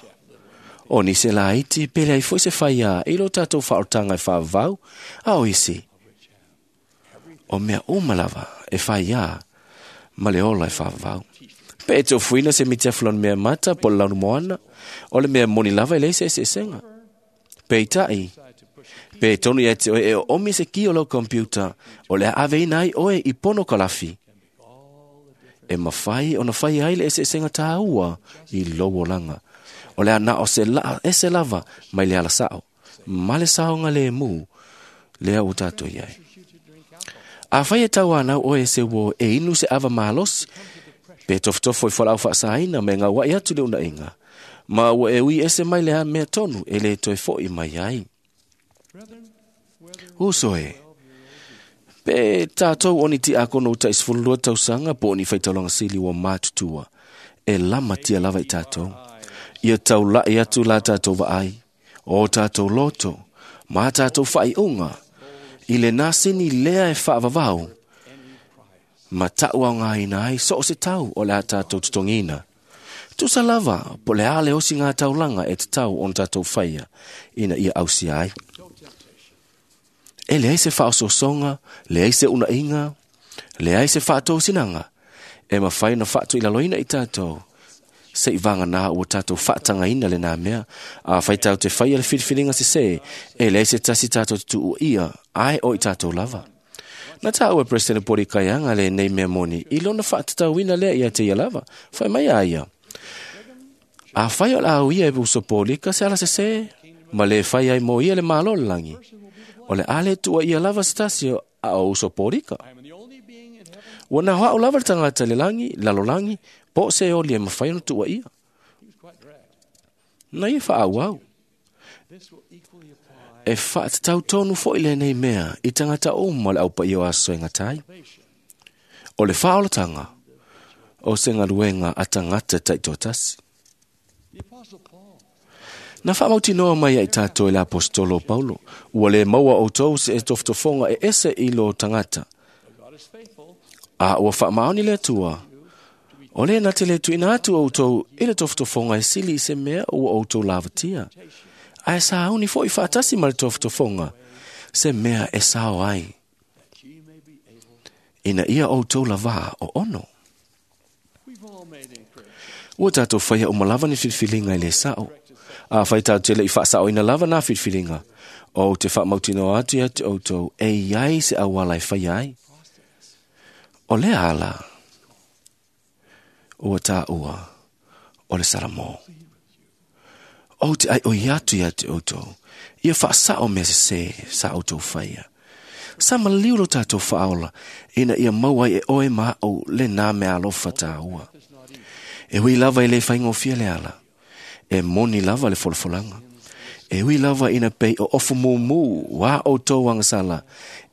B: O nisi e laiti, pe leai foʻi se faiā i lo tatou faaolotaga e faavavau, a o isi, o mea uma lava e faiā ma le ola e faavavau. Pe e te ofuina se miti afu lona mea mata po o le lanumoana, o le mea moni lava e leai se eseesega. Peitai, pe tonu ia te oe e oomi se ki o lau computer, o le a aveina ai oe i pono kalafi. E mafai ona fai ai le eseesega tāua i lou olaga. O le a na o se laa ese lava mai le ala saʻo, ma le saogalēmū Lea ua tātou iai. A whai e tau anau oe se wo e inu se ava malosi, pe tofotofo i whalau whaasaina me ngā wai atu le una inga. Ma ua e ui ese mai le a mea tonu e le toe foi mai ai. Uso e, pe tātou oni ti akono uta isfulua tausanga po oni whaitaulanga sili wa mātutua. E lama tia lava i tātou. Ia tau lai atu la tātou vaai. O tātou loto. Mā tātou whai unga. I le nasini lea e whaavavau. Ma tau au ngā ina ai so o se tau o le a tātou tutongina. Tusa lava, po le ale osi ngā taulanga e te tau on tātou whaia, ina ia ausia ai. E leai se whaososonga, leai se unainga, leai se whaatōsinanga, e mawhai na whaatu i laloina i tātou. Se i vanga nā ua tātou whaatangaina le nā mea, a whai tau te whaia le whiriwhiringa se se, e leai se tasi tātou te tuu ia, ai o i tātou lava. Nā tā ua President Pori Kaianga le nei mea moni, i lona whaatatauina lea ia te ia lava, whai mai a ia. A whai o la au ia e uso pōlika se ala se se, ma le whai ai mō ia le malo le langi. O le ale tua ia lava se tasi o a o uso pōlika. Ua nā hoa o lava le tangata le langi, lalo langi, po se o lia mawhai ona tua ia. Na ia wha au au. E whaatatau tonu fo i le nei mea i tangata o ma le aupa i o aso e ngatai. O le whaolatanga o se ngaluenga a tangata taitotasi. Na whaamautinoa mai ai tātou e le apostolo Paulo, ua le maua o tau se e tofotofonga e ese i lo tangata. A ua whaamaoni le atua, o le na te le tuina atu o tau i le tofotofonga e sili i se mea ua o tau lavatia. A e sāuni fo i whaatasi ma le tofotofonga, se mea e sao ai. Ina ia o tau lava o ono. Ua tātou whaia o malava ni whiriwhiringa i le sao. A whai tātou te le i whaasao ina lava nā whiriwhiringa. O te whaamautino atu ia te outou e iai se awala e whai ai. O le ala. Ua tā ua. O le saramo. O te ai o i atu ia te outou. Ia whaasao mea se se sa outou whaia. Sa maliu lo tātou whaola. Ina ia maua e oe maa o le nā mea alofa tā ua. E hui lava i le whaingofia le ala. E moni lava le folafolanga. E hui lava ina pei o ofu mumu wā o tō angasala.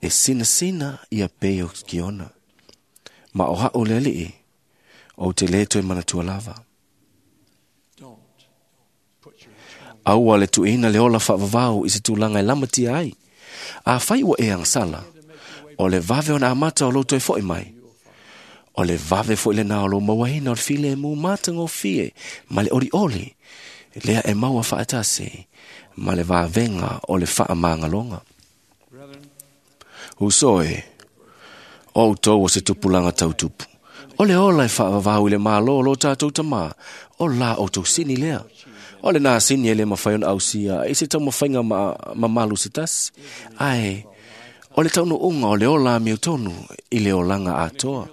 B: E sina sina ia pei o kiona. Ma o hao le alii. O te le toe manatua lava. Aua le tuina le ola whaavavau i se tūlanga e lamatia ai. A whai ua e angasala. O le vave ona amata o lo toe foi mai. O le vave fo le nā o lo mauaina o le file e mū mātanga o fie, ma le ori oli, lea e maua whaatase, ma le vāvenga o le whaamāngalonga. Uso e, o tau o se tupulanga tautupu. O le ola e whaavavau i le mālo o lo tātou tamā, o la o tau sini lea. O le nā sini e le mawhai ona ausia, e se tau mawhainga mamalu se tasi. Ai, o le tauno unga o le ola mi o tonu i le olanga atoa.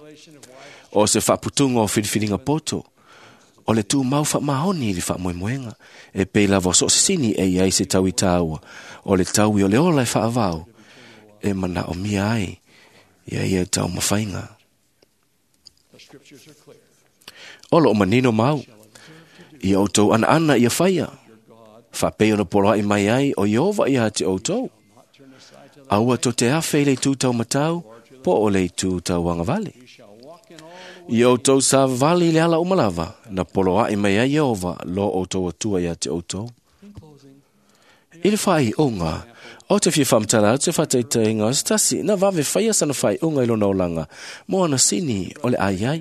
B: O se whaaputunga o whiriwhiringa poto. O le tū mau whaamahoni i le whaamoemoenga. E pei lava o so sini e iai se tau i tāua. O le tau i o le ola e whaavau. E mana o mia ai. Ia ia tau mawhainga. O lo o manino mau. Ia o tau ana ana ia whaia. Whapei o na poroa i mai ai o Iova ia te o tau. Aua to te awhe i le tū tau matau, po o le tū tau angavale. I o tau sa vali le ala umalava, na polo ai mai ai Iova, lo o tau atua ia te o tau. I le whai unga, o te whia whamtala, te whataitainga, o se tasi, na wawe whaia sana whai unga i lona olanga, mo ana sini o le ai ai.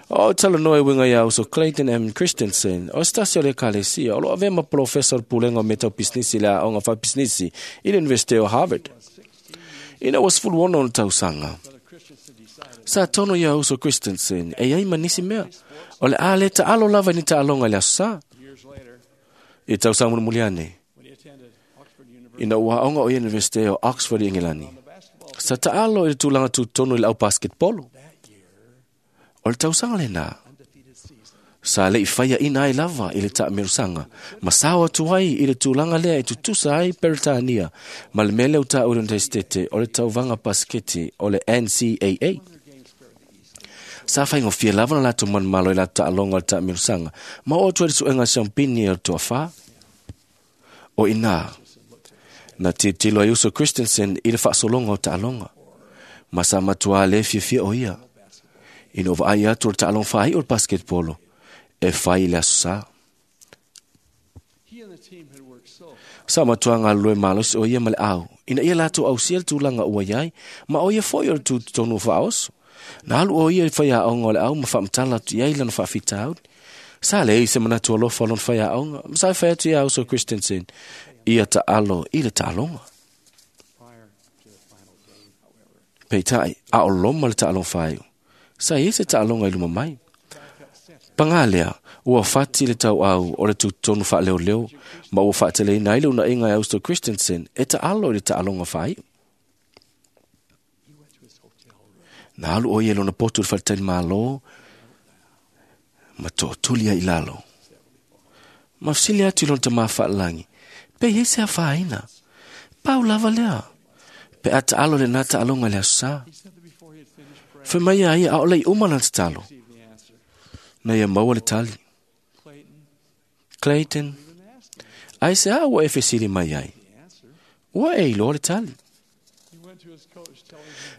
B: O tala noe winga ia uso Clayton M. Christensen, o se tasi o le kalesia, o lo avema professor pulenga o metau pisnisi le aonga whai pisnisi i le University o Harvard. Ina was full wono o tausanga. Sa tono ia uso Christensen, e ai manisi mea. O le ale ta alo lava ni ta alonga le asa. I tau sa muliane. Ina ua onga o University o Oxford i Engilani. Sa ta alo i le tūlanga tūtonu i le au basketbolo. O le tausanga le nā. Sa le i whaia ina ai lava i le taamilosaga ma sao atu ai i le tulaga lea e tutusa ai Peretania ma le mea lea ua taua i le Iunitesitete o le tauvaga pasiketi o le NCAA. Sa faigofie lava ona latou manumalo i latou taaloga o le taamilosaga ma oo atu ai le suega a siampini o le toafā. O inā, na tilotilo ai uso Christensen i le faasologa o taaloga, ma sa matuā lē fiafia o ia ina ua vaai atu o le taaloga faaiu o le basketball e fai i le aso sā. Sa matuā galulue malosi o ia ma le au, ina ia latou ausia le tulaga ua iai, ma o ia foi o le tutotonu o faaoso. Na alu o ia i faiaoga o le au ma faamatala atu i ai lana faafitauli. Sa leai se manatu alofa o lona faiaoga, ma sa e fai atu iā uso Christensen, ia taalo i le taaloga. Peitai, a o loma le taaloga faaiu. Sa i ai se taaloga i luma mai. Pagā lea, ua fati le tauau o le tutotonu faaleoleo ma ua faateleina ai le unaiga e Austo Christensen e taalo i le taaloga faaiu. Na alu o ia i lona potu i le faletalimalo ma tootuli ai i lalo. Ma fesili atu i lona tamā faalelagi, pe i ai se afaina. Pau lava lea, pe a taalo lenā taaloga i le aso sā. Fai mai a ia aʻo le i uma lana tatalo. Na ia maua le tali. Clayton, aisea ua e fesili mai ai? Ua e iloa le tali.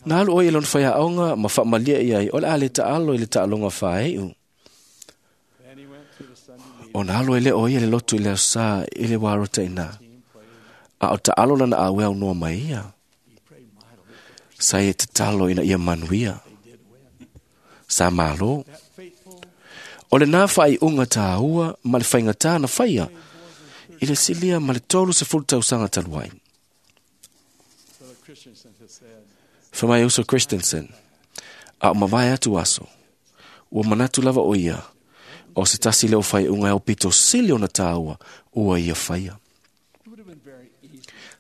B: Na alu o ia i lona faiaoga ma faamalie i ai o le a le taalo i le taaloga faaiu. Ona alu ai lea o ia i le lotu i le aso sā i le wā rota ina. A o taalo lana auē aunoa ma ia. Sa ia tatalo ina ia manuia. Sa malo. O lenā faaiuga tāua ma le faigata na faia i le silia ma le 30 tausaga talu ai. Fai mai uso Christensen, a o mavae atu aso, ua manatu lava o ia, o se tasi lea o faaiuga e aupito sili ona tāua ua ia faia.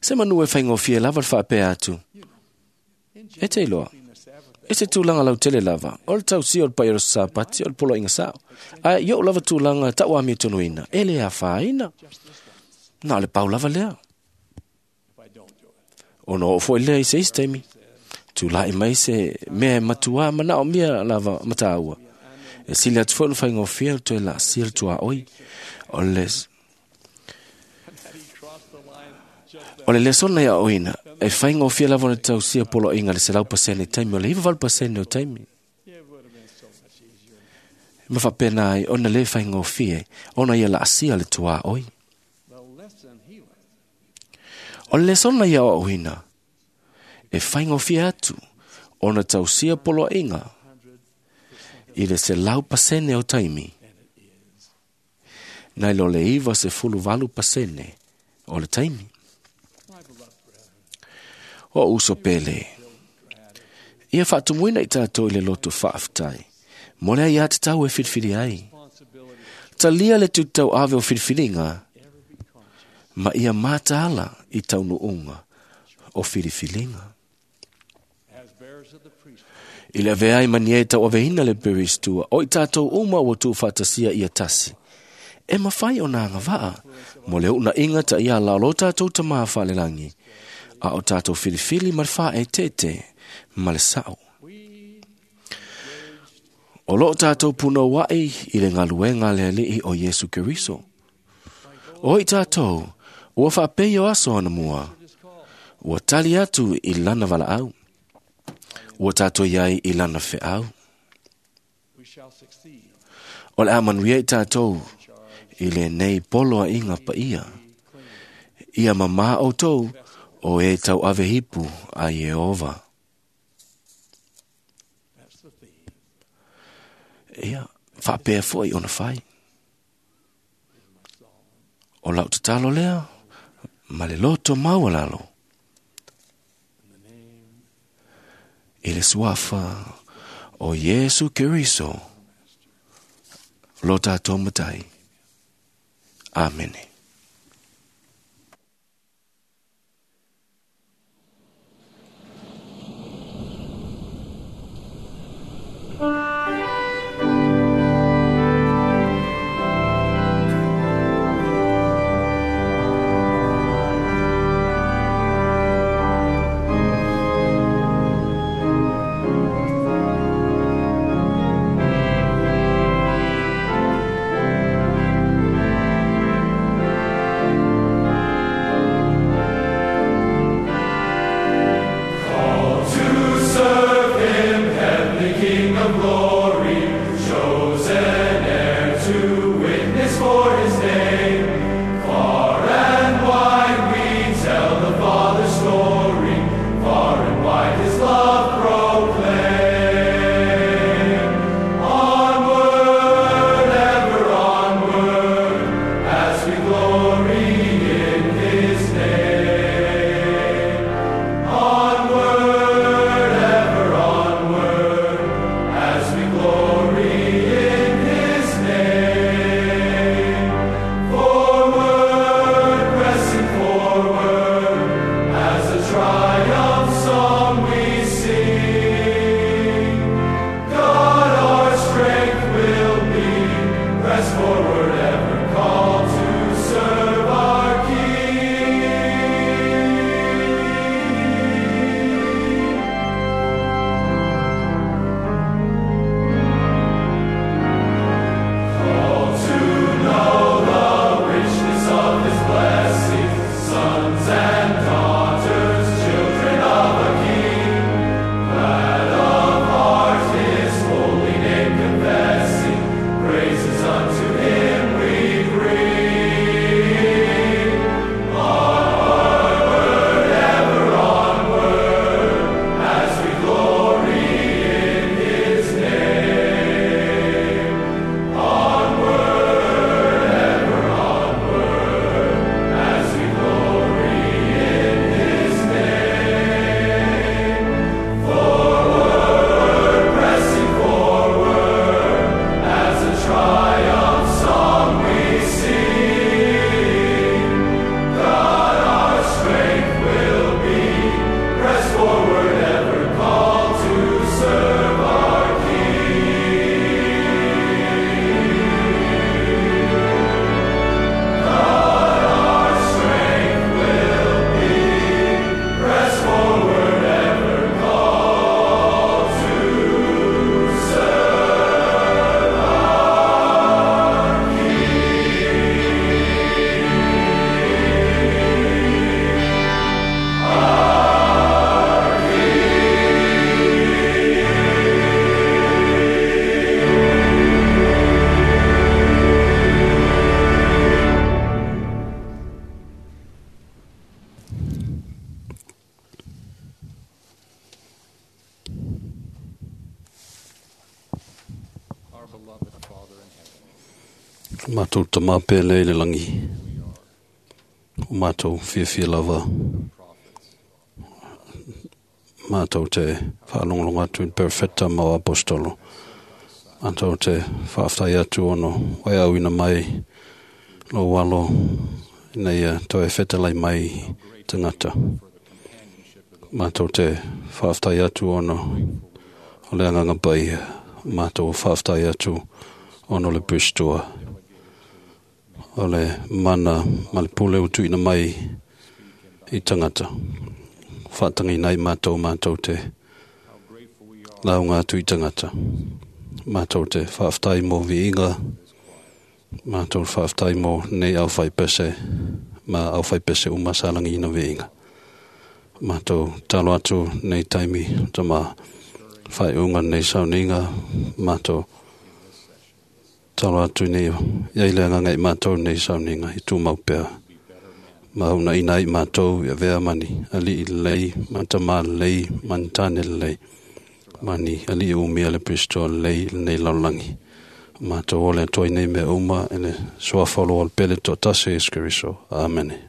B: Se manu e faigofie lava le faapea atu. E te iloa, e se tulaga lautele lava, o le tausia o le paia o le Sapati o le poloaiga sao. Ae i ou lava tulaga tauamiotonuina, e le afaina. Na o le pau lava lea. Ona oo foi lea i se isi taimi, tula'i mai se mea e matuā manaomia lava ma tāua. E sili atu foi ona faigofie le toe laasia le tuaoi. O le O le lesona ia aoina, e faigofie lava ona tausia poloaiga i le 100% i taimi o le 98% o taimi. Ma faapena ai ona lē faigofie ona ia laasia le tuaoi. O le lesona ia aoaoina, e faigofie atu ona tausia poloaiga i le 100% o taimi, nai lo le 98% o le taimi. O uso pele, ia faatumuina i tatou i le loto faafetai, mo le aiā tatau e filifili ai. Talia le tutauave o filifiliga, ma ia mataala i taunuuga o filifiliga. I le avea ai ma ni e tauaveina le peristua, o i tatou uma ua tuufaatasia ia tasi. E mafai ona agavaa, mo le uunaiga taiala o lo tatou tamā faalelagi, a o tatou filifili ma le faaeteete ma le sao. O loo tatou punouai i le galuega a le Alii o Iesu Keriso. O i tatou, ua faapei o aso anamua, ua tali atu i lana valaau, ua tatou iai i lana feau. O le a manuia i tatou i lenei poloaiga paia. Ia mamā outou o e tauave ipu a Ieova. Ia, faapea foi ona fai. O lau tatalo lea, ma le loto maualalo. I le suafa o Iesu Keriso, lo tatou Matai. Amene.
M: Matou tamā pele i le lagi, o matou fiafia lava, matou te faalogologo atu i le perofeta ma o aposetolo. Matou te faafetai atu ona ua e auina mai lou alo ina ia toe fetalai mai tagata. Matou te faafetai atu ona o le Agaga Paia. Matou faafetai atu ona o le Pristoa, o le mana ma le pule ua tuuina mai i tagata. Faatagiina ai matou matou te lauga atu i tagata. Matou te faafetai mo viiga, matou te faafetai mo nei aufaipese ma aufaipese uma sa lagiina viiga. Matou talo atu nei taimi tama faaiuga nei sauniga, matou talo atu nei ia i le agaga i matou nei sauniga i tumau pea. Ma uunaina ai matou i avea mani alii lelei, ma tamā lelei, ma ni tane lelei, ma ni alii umia le Kristo lelei i lenei lalolagi. Matou ole atu ai nei mea uma i le suafa o le pele toatasi o Iesu Keriso. Amene.